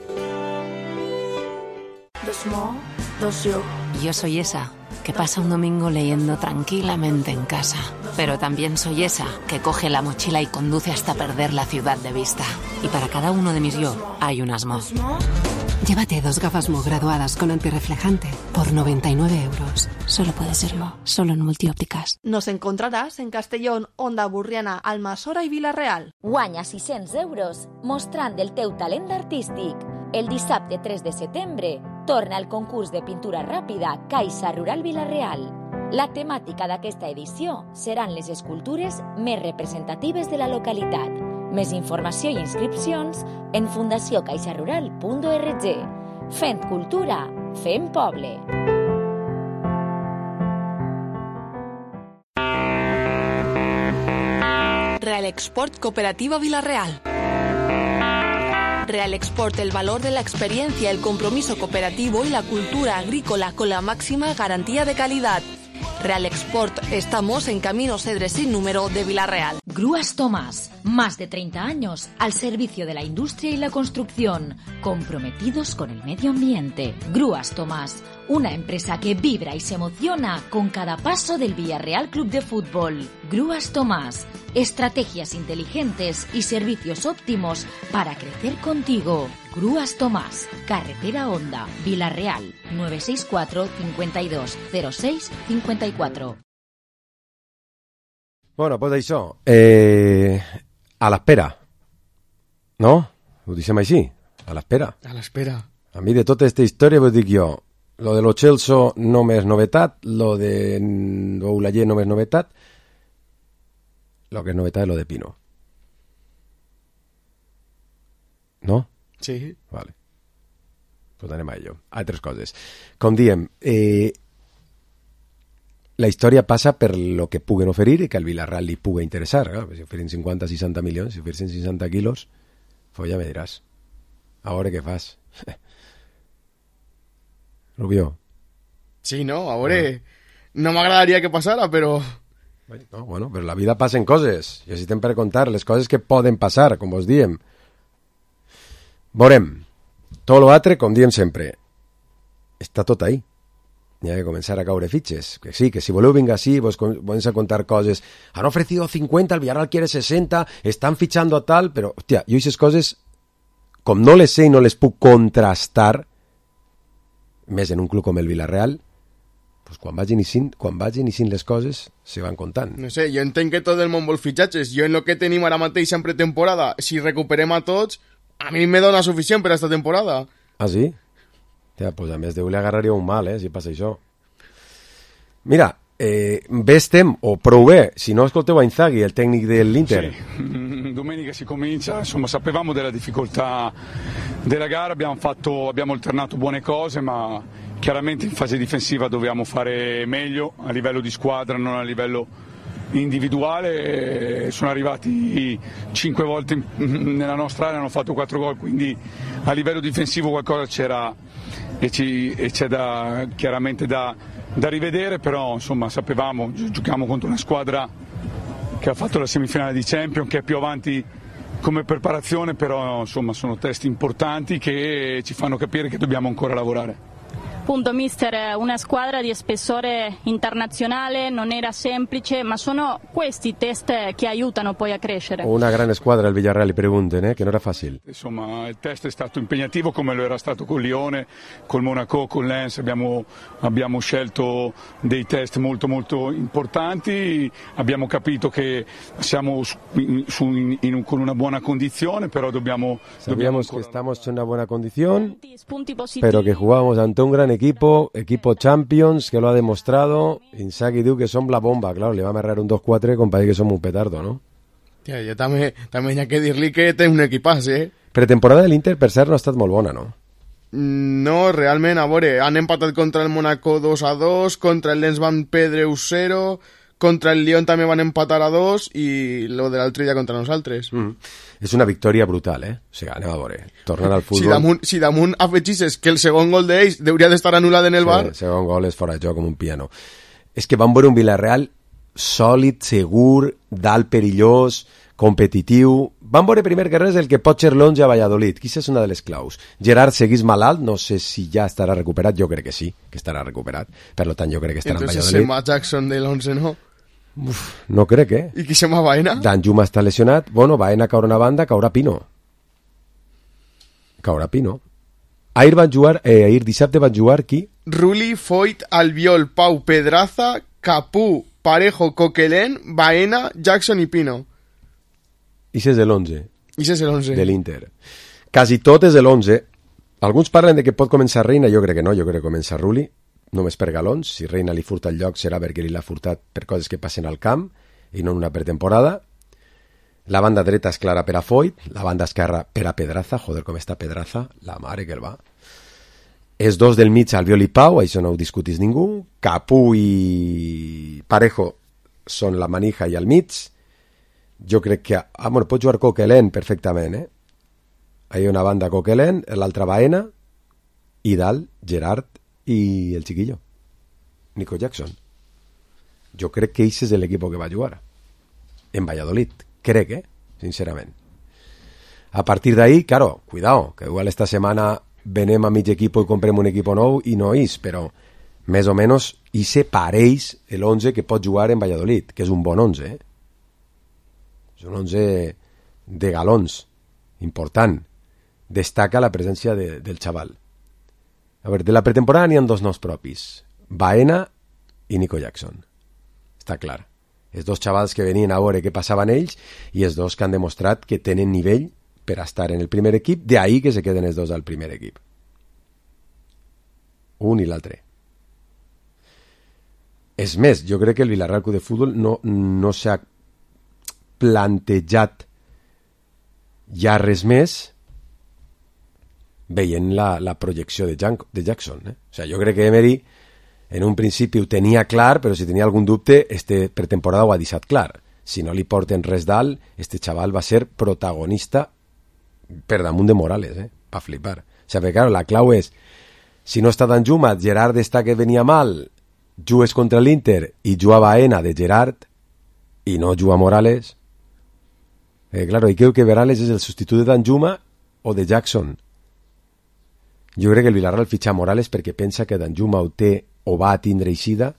Yo soy esa que pasa un domingo leyendo tranquilamente en casa. Pero también soy esa que coge la mochila y conduce hasta perder la ciudad de vista. Y para cada uno de mis yo hay un asmo. Llévate dos gafas Mo graduadas con antirreflejante por noventa y nueve euros. Solo puede ser Mo, solo en Multiópticas. Nos encontrarás en Castellón, Onda Burriana, Almassora i Vila-real. Guanya sis-cents euros mostrant el teu talent artístic. El dissabte tres de setembre torna el concurs de pintura ràpida Caixa Rural Vila-real. La temàtica d'aquesta edició seran les escultures més representatives de la localitat. Més informació i inscripcions en fundació caixa rural punt org. Fent cultura, fent poble. Real Export Cooperativa Villarreal. Real Export, el valor de la experiencia, el compromiso cooperativo y la cultura agrícola con la máxima garantía de calidad. Real Export, estamos en Camino Cedres sin número de Villarreal. Grúas Tomás, más de treinta años al servicio de la industria y la construcción, comprometidos con el medio ambiente. Grúas Tomás, una empresa que vibra y se emociona con cada paso del Villarreal Club de Fútbol. Grúas Tomás, estrategias inteligentes y servicios óptimos para crecer contigo. Grúas Tomás, carretera Honda, Villarreal, nueve seis cuatro cincuenta y dos cero seis cincuenta y cuatro. Bueno, pues això, eh, a l'espera, no? Ho deixem així, a l'espera. A l'espera. A mi de tota aquesta història vos dic jo, lo de lo Chelsea no m'és novetat, lo de Boulaye no m'és novetat, lo que és novetat és lo de Pino. No? Sí. Vale. Pues anem a ello. Altres coses. Com diem, eh, la història passa per lo que puguen oferir i que al Villarreal li pugui interessar. Clar, si oferin cinquanta a seixanta milions, si oferin seixanta quilos, pues ja me diràs. A veure què fas. Rubio. Sí, no, a veure... Ah. No m'agradaria que passara, però... No, bueno, però la vida passen coses. I així estem per contar les coses que poden passar, com vos diem. Veurem. Tot l'altre, com diem sempre, està tot ahí. Hi ha que començar a caure fitxes. Que sí, que si voleu vinga així, vos comença a contar coses. Han ofrecido cincuenta, el Villarreal quiere sesenta, están fichando a tal, però, hòstia, jo aquestes coses, com no les sé i no les puc contrastar, més en un club com el Villarreal, pues quan vagin iniciant, quan vagin iniciant les coses, se van contant. No sé, jo entenc que tot el món vol fitxatges. Jo en lo que tenim ara mateix en pretemporada, si recuperem a tots, a mi me dona suficient per a esta temporada. Ah, sí? Ja, pues a més Déu li agarraria un mal, eh, si passa això. Mira, eh, bé estem, o prou bé, si no ascolteu a Inzaghi, el tècnic dell'Inter. Sì, domenica si comincia, insomma sapevamo della difficoltà della gara, abbiamo, fatto, abbiamo alternato buone cose, ma chiaramente in fase difensiva dovevamo fare meglio a livello di squadra, non a livello individuale. Sono arrivati cinque volte nella nostra area, hanno fatto quattro gol, quindi a livello difensivo qualcosa c'era e, ci, e c'è da, chiaramente da, da rivedere, però insomma sapevamo, giochiamo contro una squadra che ha fatto la semifinale di Champions, che è più avanti come preparazione, però insomma sono test importanti che ci fanno capire che dobbiamo ancora lavorare. Appunto, mister, una squadra di spessore internazionale, non era semplice, ma sono questi test che aiutano poi a crescere. Una grande squadra il Villarreal, pregunten, eh, che non era facile. Insomma, il test è stato impegnativo come lo era stato con Lione, col Monaco, con Lens, abbiamo, abbiamo scelto dei test molto molto importanti, abbiamo capito che siamo su, su, in, in, con una buona condizione, però dobbiamo... Sabíamos dobbiamo que estamos en una buena condición, pero que jugamos ante un gran equipo, equipo Champions, que lo ha demostrado. Inzaghi diu que som la bomba, claro, le va a amarrar un dos quatre, compadre, que som un petardo, no? Tia, jo també, també hi ha que dir-li que té un equipàs, eh? Pretemporada de l'Inter, per cert, no ha estat molt bona, no? No, realment, a veure, han empatat contra el Monaco dos a dos, contra el Lens van perdre u zero, contra el Lyon també van empatar a dos i lo de l'altre dia contra nosaltres. Mm. És una victòria brutal, eh? O sigui, anem a veure, tornant al futbol... Si damunt, si damunt afegixes que el segon gol d'ells hauria d'estar anul·lat en el sí, bar... El segon gol és fora de joc com un piano. És que van veure un Villarreal sòlid, segur, dalt perillós, competitiu... Van veure primer que res el que pot ser l'onze a Valladolid, que és una de les claus. Gerard seguís malalt, no sé si ja estarà recuperat, jo crec que sí, que estarà recuperat, per tant jo crec que estarà Entonces en Valladolid. Entonces se va Jackson de l'onze, no? Uf, no crec, eh? I qui se llama Baena? Danjuma està lesionat. Bueno, Baena caurà una banda, caurà Pino. Caurà Pino. Ahir van jugar, eh, ahir dissabte van jugar qui? Rulli, Foyt, Albiol, Pau, Pedraza, Capú, Parejo, Coquelin, Baena, Jackson i Pino. I és l'onze. I és l'onze. De l'Inter. Quasi tot és l'onze. Alguns parlen de que pot començar Reina, jo crec que no, jo crec que comença Rulli. Només per galons, si Reina li furta el lloc serà perquè li l'ha furtat per coses que passen al camp i no en una pretemporada. La banda dreta és clara per a Foyt, la banda esquerra per a Pedraza, joder com està Pedraza, la mare que el va. Els dos del mig, Albiol i Pau, això no ho discutís ningú. Capú i Parejo són la manija i al mig. Jo crec que... Ah, bueno, pot jugar Coquelin perfectament, eh? Hi ha una banda Coquelin, l'altra Baena, i dalt Gerard i el chiquillo, Nico Jackson. Jo crec que ese és l'equip que va jugar en Valladolid, crec, eh? Sincerament. A partir d'ahí, claro, cuidado, que igual esta setmana venem a mig equip i comprem un equip nou i no és, però més o menys ese pareix l'onze que pot jugar en Valladolid, que és un bon onze, eh? És un onze de galons, important. Destaca la presència de, del xaval. A veure, de la pretemporada n'hi ha dos nous propis, Baena i Nico Jackson. Està clar. Els dos xavals que venien a veure què passaven ells i els dos que han demostrat que tenen nivell per a estar en el primer equip, de ahí que se queden els dos al primer equip. Un i l'altre. És més, jo crec que el Villarreal Club de Futbol no, no s'ha plantejat ja res més veient la, la projecció de, Jan, de Jackson. Eh? O sigui, jo crec que Emery en un principi ho tenia clar, però si tenia algun dubte, este pretemporada ho ha deixat clar. Si no li porten res dalt, este xaval va ser protagonista per damunt de Morales, eh? Va flipar. O sigui, claro, la clau és, si no està Danjuma, Gerard està que venia mal, jugues contra l'Inter i juga Baena de Gerard i no juga Morales. Eh, claro, i creo que Morales és el substitut de Danjuma o de Jackson. Jo crec que el Villarreal fitxa Morales perquè pensa que Danjuma ho té o va a tindre eixida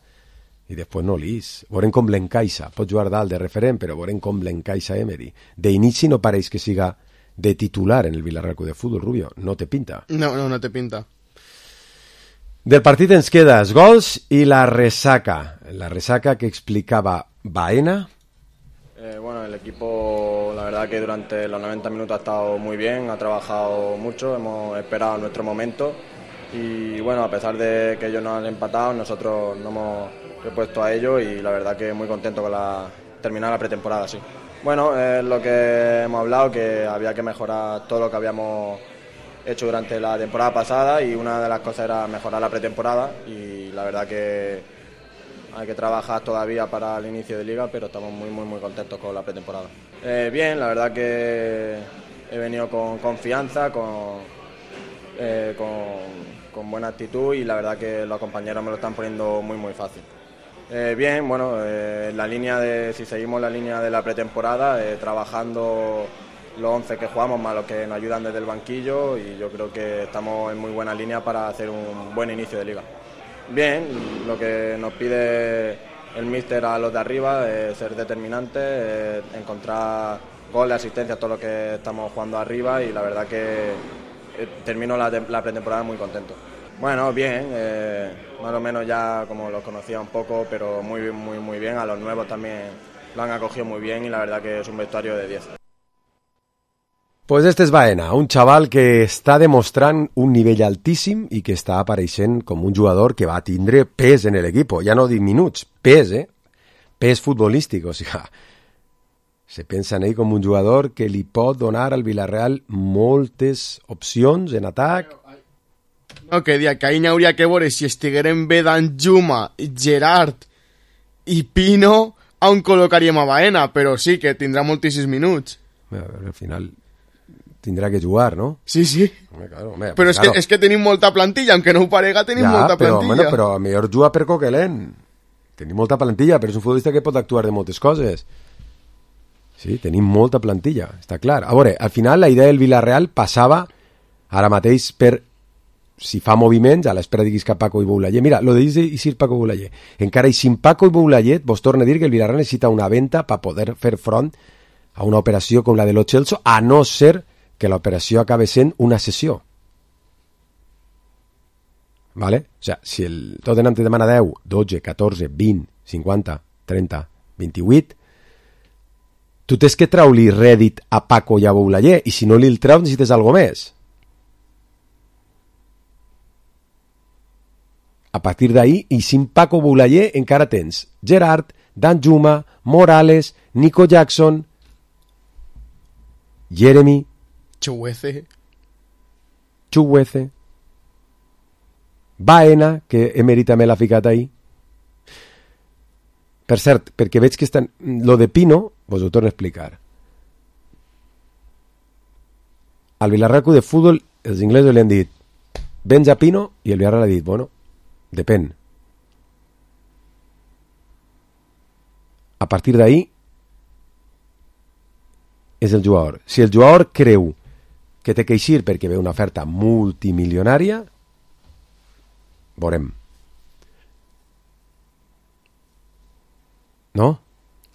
i després no l'ís. Veurem com l'encaixa. Pot jugar dalt de referent, però veurem com l'encaixa Emery. D'inici no pareix que siga de titular en el Villarreal Club de Fútbol, Rubio. No te pinta. No, no, no te pinta. Del partit ens queda els gols i la resaca. La resaca que explicaba Baena. Eh, bueno, el equipo, la verdad que durante los noventa minutos ha estado muy bien, ha trabajado mucho, hemos esperado nuestro momento y bueno, a pesar de que ellos nos han empatado, nosotros nos hemos repuesto a ellos y la verdad que muy contento con la terminar la pretemporada, sí. Bueno, es lo que hemos hablado, que había que mejorar todo lo que habíamos hecho durante la temporada pasada y una de las cosas era mejorar la pretemporada y la verdad que hay que trabajar todavía para el inicio de liga, pero estamos muy muy muy contentos con la pretemporada. Eh, bien, la verdad que he venido con confianza, con, eh, con, con buena actitud y la verdad que los compañeros me lo están poniendo muy muy fácil. Eh, bien, bueno, eh, la línea de, si seguimos la línea de la pretemporada, eh, trabajando los once que jugamos más los que nos ayudan desde el banquillo y yo creo que estamos en muy buena línea para hacer un buen inicio de liga. Bien, lo que nos pide el míster a los de arriba es ser determinantes, eh, encontrar goles, asistencias, todo lo que estamos jugando arriba y la verdad que eh, termino la, la pretemporada muy contento. Bueno, bien, eh, más o menos ya como los conocía un poco, pero muy, muy, muy bien. A los nuevos también lo han acogido muy bien y la verdad que es un vestuario de diez. Pues este és Baena, un xaval que està demostrant un nivell altíssim i que està apareixent com un jugador que va tindre pes en l'equip, ja no dic minuts, pes, eh? Pes futbolístic, o sigui, se pensa en ell com un jugador que li pot donar al Villarreal moltes opcions en atac. No, que dia, que ahir n'hauria que veure si estigueren bé Danjuma, Gerard i Pino, on col·locaríem a Baena, però sí que tindrà moltíssims minuts. A veure, al final tindrà que jugar, ¿no? Sí, sí. Home, claro, home, però és, claro. que, és que tenim molta plantilla, aunque no ho parega, tenim ja, molta però, plantilla. Bueno, però a millor juga per Coquelin. Tenim molta plantilla, però és un futbolista que pot actuar de moltes coses. Sí, tenim molta plantilla, està clar. A veure, al final la idea del Villarreal passava ara mateix per si fa moviments, a l'espera diguis que Paco i Boulaye. Mira, lo de dir Paco i Boulaye. Encara i sin Paco i Boulaye, vos torno a dir que el Villarreal necessita una venta per poder fer front a una operació com la de Lo Celso, a no ser que l'operació acabe sent una cessió. Vale? O sigui, si el Tottenham te demana deu, dotze, catorze, vint, cinquanta, trenta, vint-i-vuit, tu tens que treure-li rèdit a Paco i a Boulaye, i si no li el treus necessites alguna més. A partir d'ahí, i sin Paco Boulaye encara tens Gerard, Danjuma, Morales, Nico Jackson, Jeremy, Chuguece, Chuguece, Baena, que Emery també l'ha ficat ahí. Per cert, perquè veig que estan... Lo de Pino, vos ho torno a explicar. Al Villarreal Club de Fútbol, els inglesos li han dit vens a Pino, i el Villarreal ha dit, bueno, depèn. A partir d'ahí és el jugador. Si el jugador creu que té que eixir perquè ve una oferta multimilionària, veurem. No?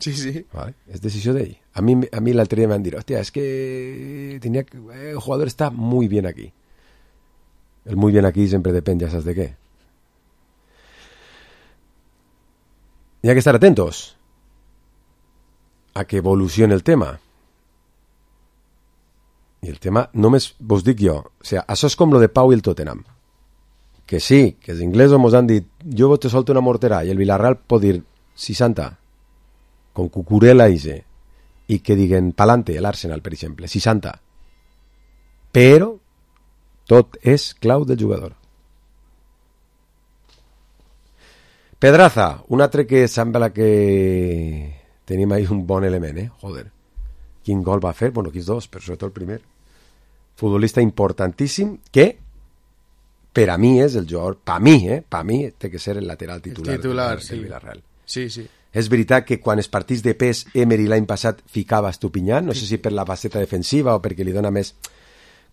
Sí, sí. Vale. És decisió d'ell. A mi, a mi l'altre dia m'han dit, hòstia, és que tenía que... el jugador está muy bien aquí. El muy bien aquí sempre depèn, ja saps de què. Hi ha que estar atentos a que evolucione el tema. I el tema, només vos dic jo, o sigui, això és com lo de Pau i el Tottenham. Que sí, que els inglesos mos han dit, jo te solto una mortera, i el Villarreal pot dir seixanta, con Cucurella ise, i que diguen pa'lante, l'Arsenal, per exemple, seixanta. Però tot és clau del jugador. Pedraza, un altre que sembla que tenim ahí un bon element, eh? Joder. Quin gol va fer? Bueno, quins dos, però sobretot el primer. Futbolista importantíssim que per a mi és el jugador, per a mi, eh? Per a mi té que ser el lateral titular, el titular del sí. Villarreal. Sí, sí. És veritat que quan els partits de pes Emery l'any passat ficava Estupiñán, no sé si per la faceta defensiva o perquè li dona més...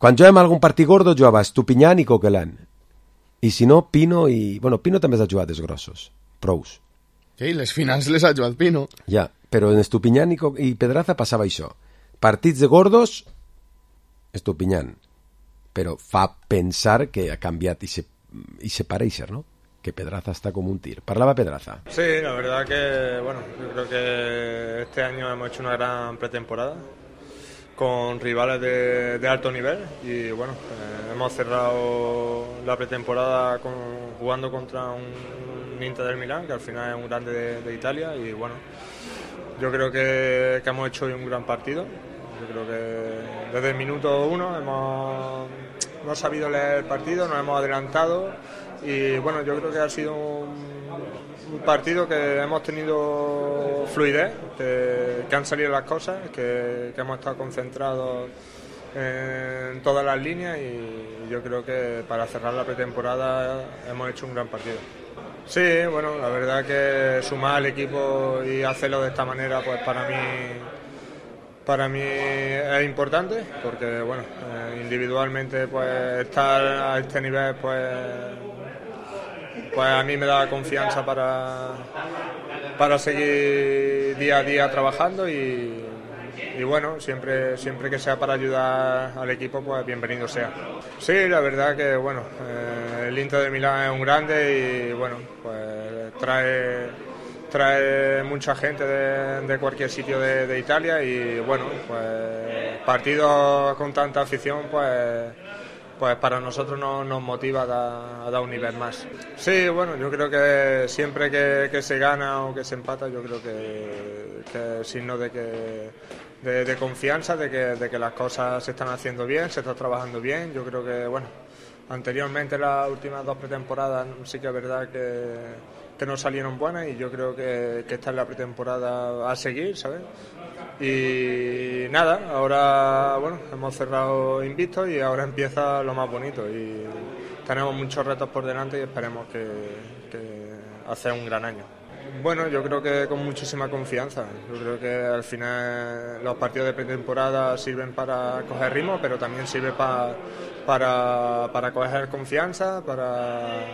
Quan jugàvem algun partit gordo jugava Estupiñán i Coquelin. I si no, Pino i... Bueno, Pino també s'ha jugat els grossos. Prous. Sí, les finals les ha jugat Pino. Ja, però en Estupiñán i, Co... i Pedraza passava això. Partits de gordos, Estupiñán. Però fa pensar que ha canviat i se, i se pareixer, ¿no? Que Pedraza está como un tir. Parlaba Pedraza. Sí, la verdad que, bueno, yo creo que este año hemos hecho una gran pretemporada con rivales de, de alto nivel y, bueno, eh, hemos cerrado la pretemporada con, jugando contra un, un Inter del Milán, que al final es un grande de, de Italia y, bueno, yo creo que, que hemos hecho hoy un gran partido. Yo creo que desde el minuto uno hemos, hemos sabido leer el partido, nos hemos adelantado. Y bueno, yo creo que ha sido un, un partido que hemos tenido fluidez, que, que han salido las cosas, que, que hemos estado concentrados en todas las líneas y yo creo que para cerrar la pretemporada hemos hecho un gran partido. Sí, bueno, la verdad que sumar al equipo y hacerlo de esta manera, pues para mí... Para mí es importante porque, bueno, eh, individualmente pues estar a este nivel pues, pues a mí me da confianza para, para seguir día a día trabajando y, y bueno, siempre, siempre que sea para ayudar al equipo pues bienvenido sea. Sí, la verdad que, bueno, eh, el Inter de Milán es un grande y, bueno, pues trae... trae mucha gente de, de cualquier sitio de, de Italia y bueno, pues partidos con tanta afición pues pues para nosotros no, nos motiva a dar, a dar un nivel más. Sí, bueno, yo creo que siempre que, que se gana o que se empata yo creo que, que es signo de que de, de confianza, de que, de que las cosas se están haciendo bien, se está trabajando bien. Yo creo que, bueno, anteriormente las últimas dos pretemporadas sí que es verdad que que no salieron buenas y yo creo que, que esta es la pretemporada a seguir, ¿sabes? Y nada, ahora, bueno, hemos cerrado invictos y ahora empieza lo más bonito y tenemos muchos retos por delante y esperemos que, que hacer un gran año. Bueno, yo creo que con muchísima confianza. Yo creo que al final los partidos de pretemporada sirven para coger ritmo, pero también sirve pa, para, para coger confianza, para...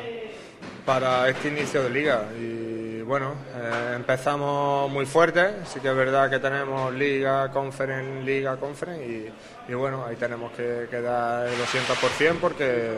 para este inicio de liga y bueno, eh, empezamos muy fuerte, sí que es verdad que tenemos liga, conference, liga, conference y, y bueno, ahí tenemos que, que dar el doscientos por ciento porque,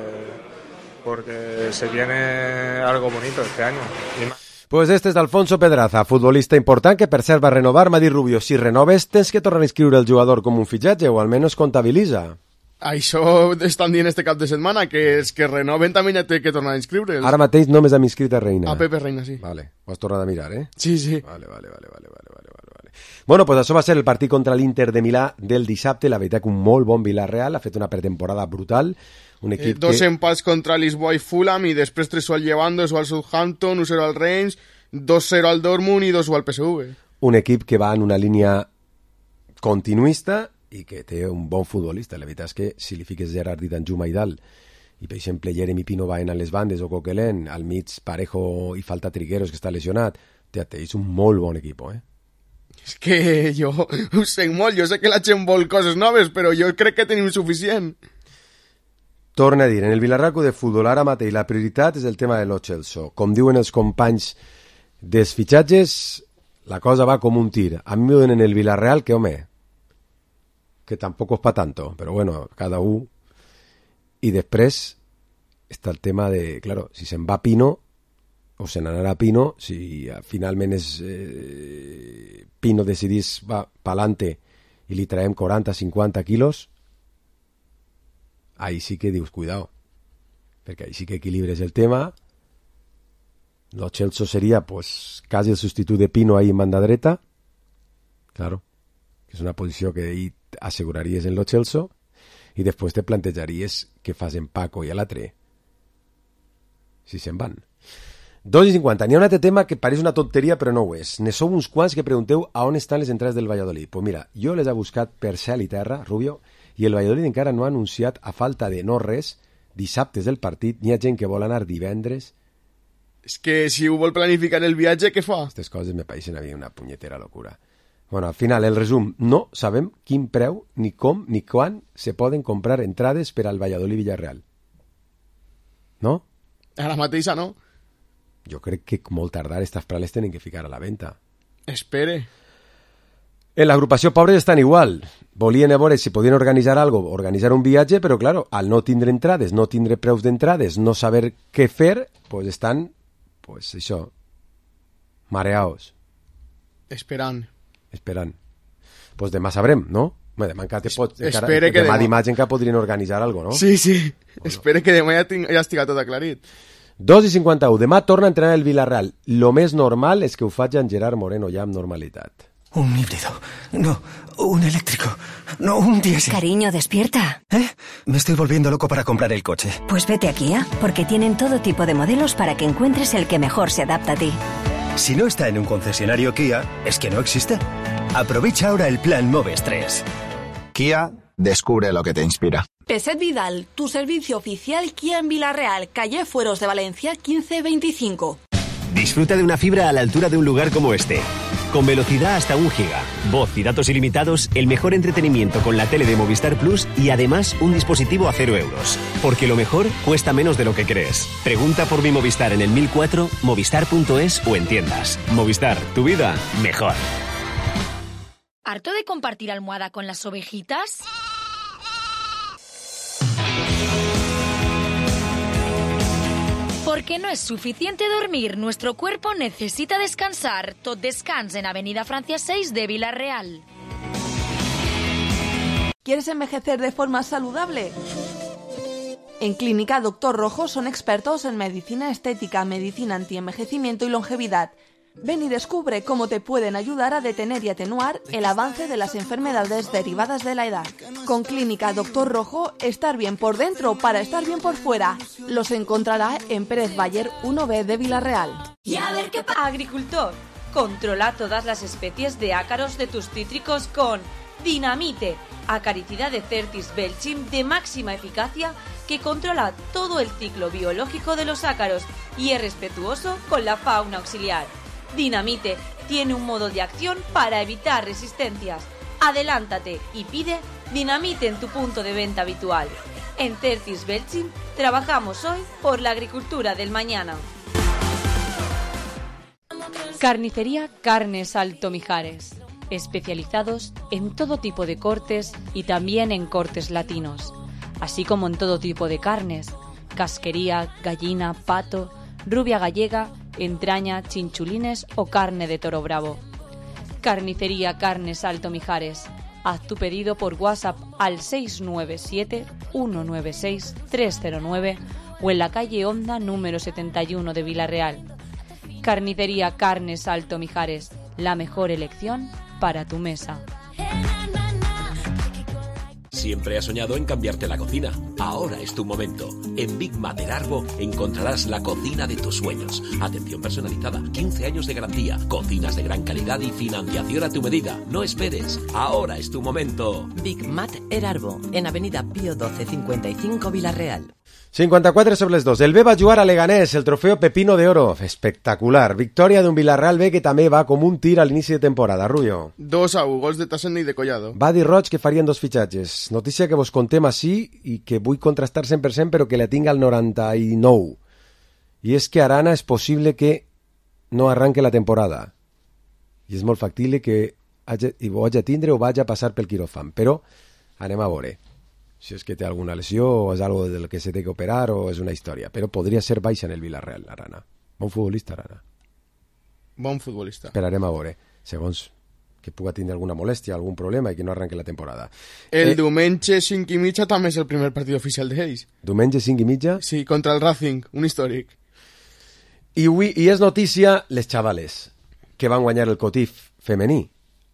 porque se viene algo bonito este año. Y más... Pues este és Alfonso Pedraza, futbolista important que per cert va renovar. M'ha dit Rubio, si renoves tens que tornar a inscriure el jugador com un fitxatge o almenys comptabilitza. Això estan dient este cap de setmana, que els que renoven també ja té que tornar a inscriure'ls. Ara mateix només hem inscrit a Reina. A Pepe Reina, sí. Vale, ho has tornat a mirar, eh? Sí, sí. Vale, vale, vale, vale, vale, vale, vale. Bueno, pues això va ser el partit contra l'Inter de Milà del dissabte. La veritat que un molt bon Villarreal, ha fet una pretemporada brutal. Un equip eh, dos que... empats contra Lisboa i Fulham i després tres al Llevant, dos al Southampton, un zero al Reims, dos zero al Dortmund i dos al P S V. Un equip que va en una línia continuista i que té un bon futbolista. La veritat és que si li fiques Gerard Danjuma i dalt i per exemple Jeremy Pino va en a les bandes o Coquelin, al mig Parejo i falta Trigueros que està lesionat, té és un molt bon equip, eh? És que jo ho sé molt, jo sé que la gent vol coses noves, però jo crec que tenim suficient. Torna a dir, en el Villarreal de futbol ara mateix la prioritat és el tema de Lo Celso. Com diuen els companys dels fitxatges, la cosa va com un tir. A mi m'ho donen en el Villarreal que, home, que tampoco es pa tanto, pero bueno, cada uno. Y després està el tema de, claro, si se'n va Pino o se n'anarà Pino, si finalment és, eh, Pino decidís va pa'lante i li traiem quaranta cinquanta quilos, ahí sí que dius cuidado, perquè ahí sí que equilibres el tema. Lo Celso seria pues quasi el substitut de Pino ahí en banda dreta, claro, que és una posició que ahí asseguraries en Lo Celso i després te plantejaries què fas en Paco i a l'altre si se'n van. dos i cinquanta. N'hi ha un altre tema que pareix una tonteria, però no ho és. Ne sou uns quants que pregunteu a on estan les entrades del Valladolid. Pues mira, jo les he buscat per cel i terra, Rubio, i el Valladolid encara no ha anunciat, a falta de no res, dissabtes del partit. N'hi ha gent que vol anar divendres. És que si ho vol planificar el viatge, què fa? Aquestes coses me pareixen a mi una punyetera locura. Bueno, al final, el resum, no sabem quin preu, ni com, ni quan se poden comprar entrades per al Valladolid-Villarreal. No? Ara mateixa no. Jo crec que molt tardar estas prales tenen que ficar a la venda. Espere. En l'agrupació Pobres estan igual. Volien a veure si podien organitzar algo, organitzar un viatge, però claro, al no tindre entrades, no tindre preus d'entrades, no saber què fer, pues estan, pues això, mareaos. Esperant. Esperant. Pues demà sabrem, no? Demà encara te pot... Espere encara, que demà demà... dimarts encara podrien organitzar algo, no? Sí, sí. Bueno. Espere que demà ja, tinc, ja estigui tot aclarit. dos i cinquanta-u. Demà torna a entrenar el Villarreal. Lo més normal és que ho faci en Gerard Moreno ja amb normalitat. Un híbrido. No, un eléctrico. No, un diésel. Cariño, despierta. ¿Eh? Me estoy volviendo loco para comprar el coche. Pues vete a Kia, porque tienen todo tipo de modelos para que encuentres el que mejor se adapta a ti. Si no está en un concesionario Kia, es que no existe. Aprovecha ahora el plan Moves tres. Kia, descubre lo que te inspira. Peset Vidal, tu servicio oficial Kia en Villarreal, calle Fueros de Valencia quince veinticinco. Disfruta de una fibra a la altura de un lugar como este. Con velocidad hasta un giga, voz y datos ilimitados, el mejor entretenimiento con la tele de Movistar Plus y además un dispositivo a cero euros. Porque lo mejor cuesta menos de lo que crees. Pregunta por mi Movistar en el mil cuatro, movistar punto es o en tiendas. Movistar, tu vida mejor. ¿Harto de compartir almohada con las ovejitas? Porque no es suficiente dormir, nuestro cuerpo necesita descansar. Tot Descans en Avenida Francia seis de Villarreal. ¿Quieres envejecer de forma saludable? En Clínica Doctor Rojo son expertos en medicina estética, medicina antienvejecimiento y longevidad. Ven y descubre cómo te pueden ayudar a detener y atenuar el avance de las enfermedades derivadas de la edad. Con Clínica Doctor Rojo, estar bien por dentro para estar bien por fuera. Los encontrará en Pérez Bayer uno B de Villarreal. Y a ver qué pasa. Agricultor, controla todas las especies de ácaros de tus cítricos con Dinamite, acaricida de Certis Belchim de máxima eficacia que controla todo el ciclo biológico de los ácaros y es respetuoso con la fauna auxiliar. Dinamite tiene un modo de acción para evitar resistencias. Adelántate y pide Dinamite en tu punto de venta habitual. En Certis Belchim trabajamos hoy por la agricultura del mañana. Carnicería Carnes Alto Mijares. Especializados en todo tipo de cortes y también en cortes latinos, así como en todo tipo de carnes, casquería, gallina, pato, rubia gallega, entraña, chinchulines o carne de toro bravo. Carnicería Carnes Alto Mijares. Haz tu pedido por WhatsApp al seis nueve siete, uno nueve seis, tres cero nueve o en la calle Honda número setenta y uno de Villarreal. Carnicería Carnes Alto Mijares, la mejor elección para tu mesa. Siempre has soñado en cambiarte la cocina. Ahora es tu momento. En Big Mat Erarbo encontrarás la cocina de tus sueños. Atención personalizada, quince años de garantía, cocinas de gran calidad y financiación a tu medida. No esperes. Ahora es tu momento. Big Mat Erarbo, en Avenida Pío doce cincuenta y cinco Villarreal. cinquanta-quatre sobre les dos. El B va jugar a Leganés, el trofeo Pepino de Oro. Espectacular. Victòria d'un Villarreal B que també va com un tir a l'inici de temporada. Rullo. dos a u, gols de Tassenda i de Collado. Va dir Roig que farien dos fitxatges. Notícia que vos contem així i que vull contrastar cent per cent però que la tinc al noranta-nou. I és que Arana és possible que no arranque la temporada. I és molt factible que hagi, ho hagi a tindre o vagi a passar pel quiròfan. Però anem a veure si és que té alguna lesió o és algo del que se té que operar o és una història, però podria ser baixa en el Villarreal, Arana. Bon futbolista, Arana. Bon futbolista. Esperarem a veure, segons que puga tindre alguna molèstia, algun problema i que no arranque la temporada. El eh, diumenge cinc i mitja també és el primer partit oficial d'ells. Diumenge cinc i mitja? Sí, contra el Racing, un històric. I, avui, i és notícia les xavales que van guanyar el Cotif femení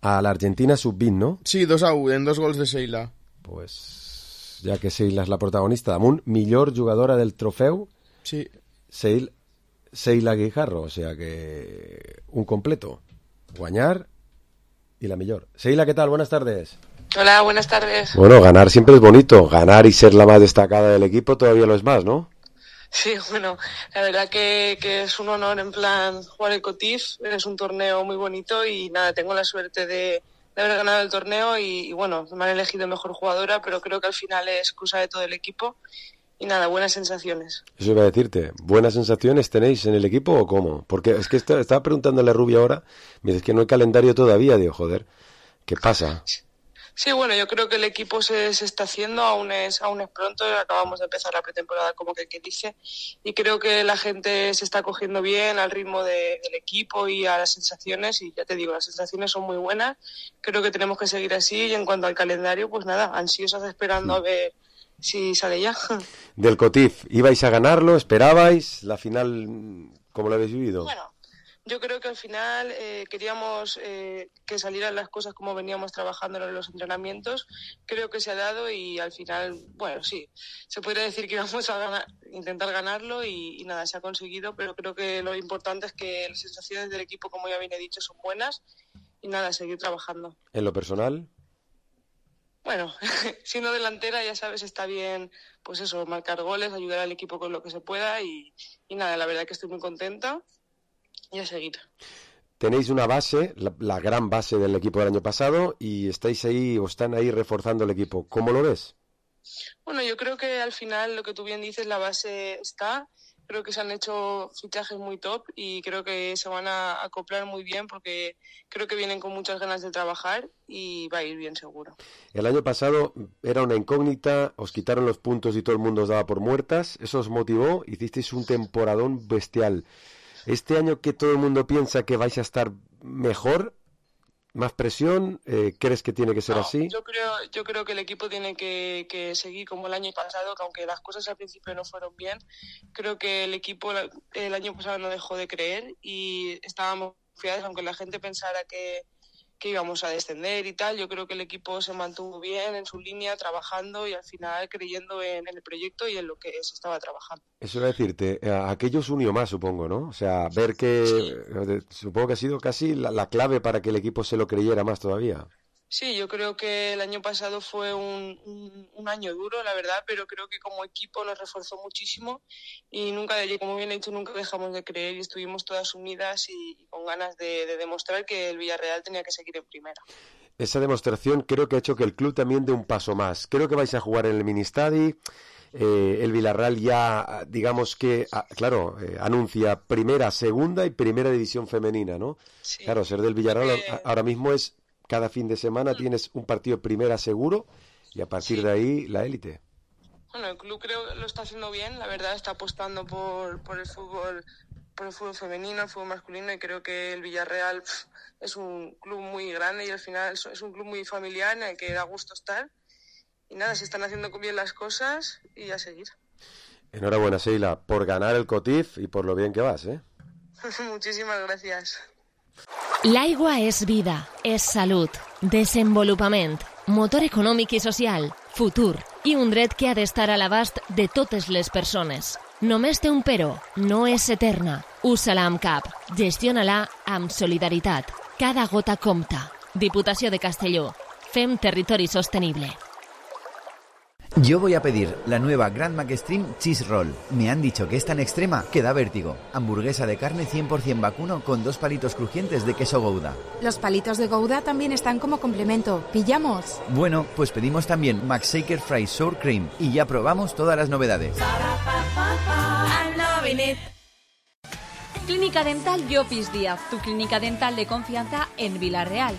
a l'Argentina sub vint, no? Sí, dos a u, en dos gols de Sheila. Pues ja que Sheila és la protagonista, damunt, millor jugadora del trofeu, sí. Sheila, Seila Guijarro, o sea que un completo, guañar y la millor. Seila, ¿qué tal? Buenas tardes. Hola, buenas tardes. Bueno, ganar siempre es bonito, ganar y ser la más destacada del equipo todavía lo es más, ¿no? Sí, bueno, la verdad que, que es un honor en plan jugar el Cotif, es un torneo muy bonito y nada, tengo la suerte de, de haber ganado el torneo y, y bueno, me han elegido mejor jugadora, pero creo que al final es cosa de todo el equipo y nada, buenas sensaciones. Eso iba a decirte, ¿buenas sensaciones tenéis en el equipo o cómo? Porque es que está, estaba preguntándole a Rubia ahora, me dice que no hay calendario todavía, digo, joder, ¿qué pasa? Sí, bueno, yo creo que el equipo se, se está haciendo, aún es, aún es pronto, acabamos de empezar la pretemporada como que, que dice, y creo que la gente se está cogiendo bien al ritmo de, del equipo y a las sensaciones, y ya te digo, las sensaciones son muy buenas, creo que tenemos que seguir así, y en cuanto al calendario, pues nada, ansiosos esperando a ver si sale ya. Del Cotif, ¿ibais a ganarlo? ¿Esperabais? ¿La final cómo lo habéis vivido? Bueno, yo creo que al final eh, queríamos eh, que salieran las cosas como veníamos trabajando en los entrenamientos. Creo que se ha dado y al final, bueno, sí, se podría decir que íbamos a ganar, intentar ganarlo y, y nada, se ha conseguido, pero creo que lo importante es que las sensaciones del equipo, como ya bien he dicho, son buenas y nada, seguir trabajando. ¿En lo personal? Bueno, siendo delantera, ya sabes, está bien, pues eso, marcar goles, ayudar al equipo con lo que se pueda y, y nada, la verdad que estoy muy contenta. Y a seguir. Tenéis una base, la, la gran base del equipo del año pasado y estáis ahí o están ahí reforzando el equipo. ¿Cómo lo ves? Bueno, yo creo que al final lo que tú bien dices, la base está. Creo que se han hecho fichajes muy top y creo que se van a acoplar muy bien porque creo que vienen con muchas ganas de trabajar y va a ir bien seguro. El año pasado era una incógnita, os quitaron los puntos y todo el mundo os daba por muertas. Eso os motivó, hicisteis un temporadón bestial. Este año que todo el mundo piensa que vais a estar mejor, más presión, eh, ¿crees que tiene que ser no, así? Yo creo, yo creo que el equipo tiene que, que seguir como el año pasado, que aunque las cosas al principio no fueron bien, creo que el equipo el año pasado no dejó de creer y estábamos confiados, aunque la gente pensara que, que íbamos a descender y tal. Yo creo que el equipo se mantuvo bien en su línea, trabajando y al final creyendo en, en el proyecto y en lo que se estaba trabajando. Eso iba a decirte, aquello os unió más, supongo, ¿no? O sea, ver que sí. Supongo que ha sido casi la, la clave para que el equipo se lo creyera más todavía. Sí, yo creo que el año pasado fue un, un, un año duro, la verdad, pero creo que como equipo nos reforzó muchísimo y nunca, como bien he dicho, nunca dejamos de creer y estuvimos todas unidas y, y con ganas de, de demostrar que el Villarreal tenía que seguir en primera. Esa demostración creo que ha hecho que el club también dé un paso más. Creo que vais a jugar en el Ministadi. Eh, el Villarreal ya, digamos que, ah, claro, eh, anuncia primera, segunda y primera división femenina, ¿no? Sí. Claro, ser del Villarreal eh... ahora mismo es... Cada fin de semana tienes un partido primera seguro y a partir sí. de ahí la élite. Bueno, el club creo que lo está haciendo bien, la verdad está apostando por, por el fútbol por el fútbol femenino, el fútbol masculino y creo que el Villarreal pff, es un club muy grande y al final es un club muy familiar en el que da gusto estar y nada, se están haciendo bien las cosas y a seguir. Enhorabuena, Seila, por ganar el Cotif y por lo bien que vas, ¿eh? Muchísimas gracias. L'aigua és vida, és salut, desenvolupament, motor econòmic i social, futur i un dret que ha d'estar a l'abast de totes les persones. Només té un però, no és eterna. Usa-la amb cap, gestiona-la amb solidaritat. Cada gota compta. Diputació de Castelló. Fem territori sostenible. Yo voy a pedir la nueva Grand McStream Cheese Roll. Me han dicho que es tan extrema que da vértigo. Hamburguesa de carne cien por ciento vacuno con dos palitos crujientes de queso Gouda. Los palitos de Gouda también están como complemento. ¿Pillamos? Bueno, pues pedimos también McShaker Fries Sour Cream y ya probamos todas las novedades. Clínica Dental Llopis Díaz, tu clínica dental de confianza en Villarreal.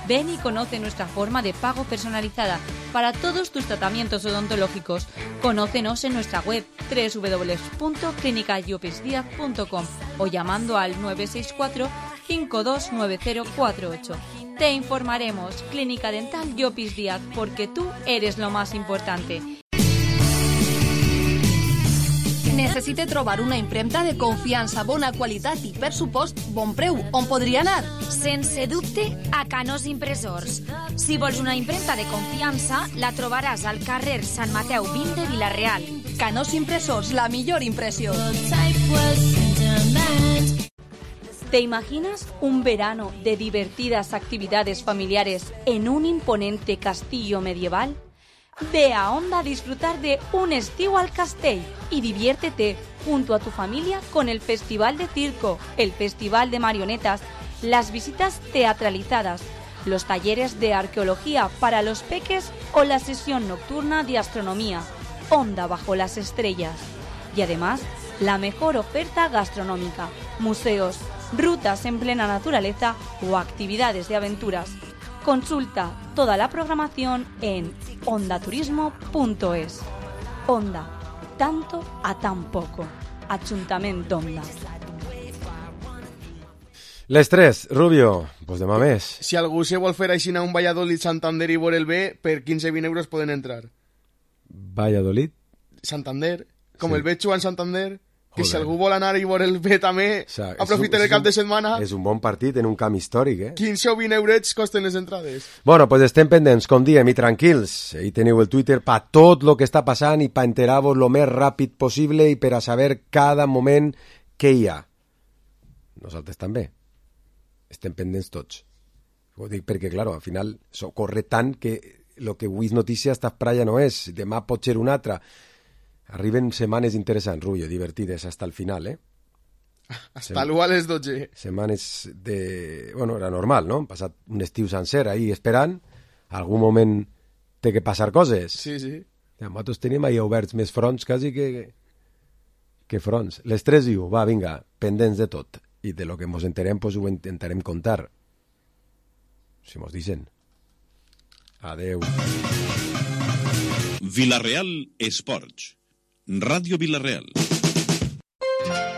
Ven y conoce nuestra forma de pago personalizada para todos tus tratamientos odontológicos. Conócenos en nuestra web doble u doble u doble u punto clínica llopis díaz punto com o llamando al nueve seis cuatro, cinco dos nueve cero cuatro ocho. Te informaremos. Clínica Dental Llopis Díaz, porque tú eres lo más importante. Necessite trobar una impremta de confiança, bona qualitat i, per supost, bon preu. On podria anar? Sense dubte, a Canós Impressors. Si vols una impremta de confiança, la trobaràs al carrer Sant Mateu vint de Vila-real. Canós Impressors, la millor impressió. ¿Te imaginas un verano de divertidas actividades familiares en un imponente castillo medieval? Ve a Onda a disfrutar de un estiu al castell y diviértete junto a tu familia con el Festival de Circo, el Festival de Marionetas, las visitas teatralizadas, los talleres de arqueología para los peques o la sesión nocturna de astronomía, Onda bajo las estrellas. Y además, la mejor oferta gastronómica, museos, rutas en plena naturaleza o actividades de aventuras. Consulta toda la programación en ondaturismo punto es. Onda, tanto a tan poco. Ajuntament d'Onda. Les tres, Rubio, pues demà més. Si algú se vol fer així a un Valladolid Santander i veure el B, per quinze vint euros poden entrar. Valladolid? Santander, com Sí. el veig jugant Santander, que Joder. si algú vol anar i veure el B també, O sea, aprofiten és un- el cap de és un- setmana, És un bon partit en un camp històric, eh? quinze o vint eurets costen les entrades. Bueno, pues estem pendents, com diem, i tranquils. Ahí teniu el Twitter pa tot lo que està passant i pa enterar-vos lo més ràpid possible i per a saber cada moment què hi ha. Nosaltres també. Estem pendents tots. Ho dic perquè, claro, al final so, corre tant que lo que avui és notícia esta praya no és. Demà pot ser una altra. Arriben setmanes interessants, Rubio, divertides, hasta el final, eh? Hasta l'u a les dotze. Setmanes de... Bueno, era normal, no? Hem passat un estiu sencer ahí esperant. Algun moment té que passar coses. Sí, sí. Ja, nosaltres tenim ahí oberts més fronts quasi que, que fronts. Les tres i u, va, vinga, pendents de tot. I de lo que ens enterem, pues ho intentarem contar. Si mos dicen. Adeu. Vila-real Esports. Ràdio Vila-real.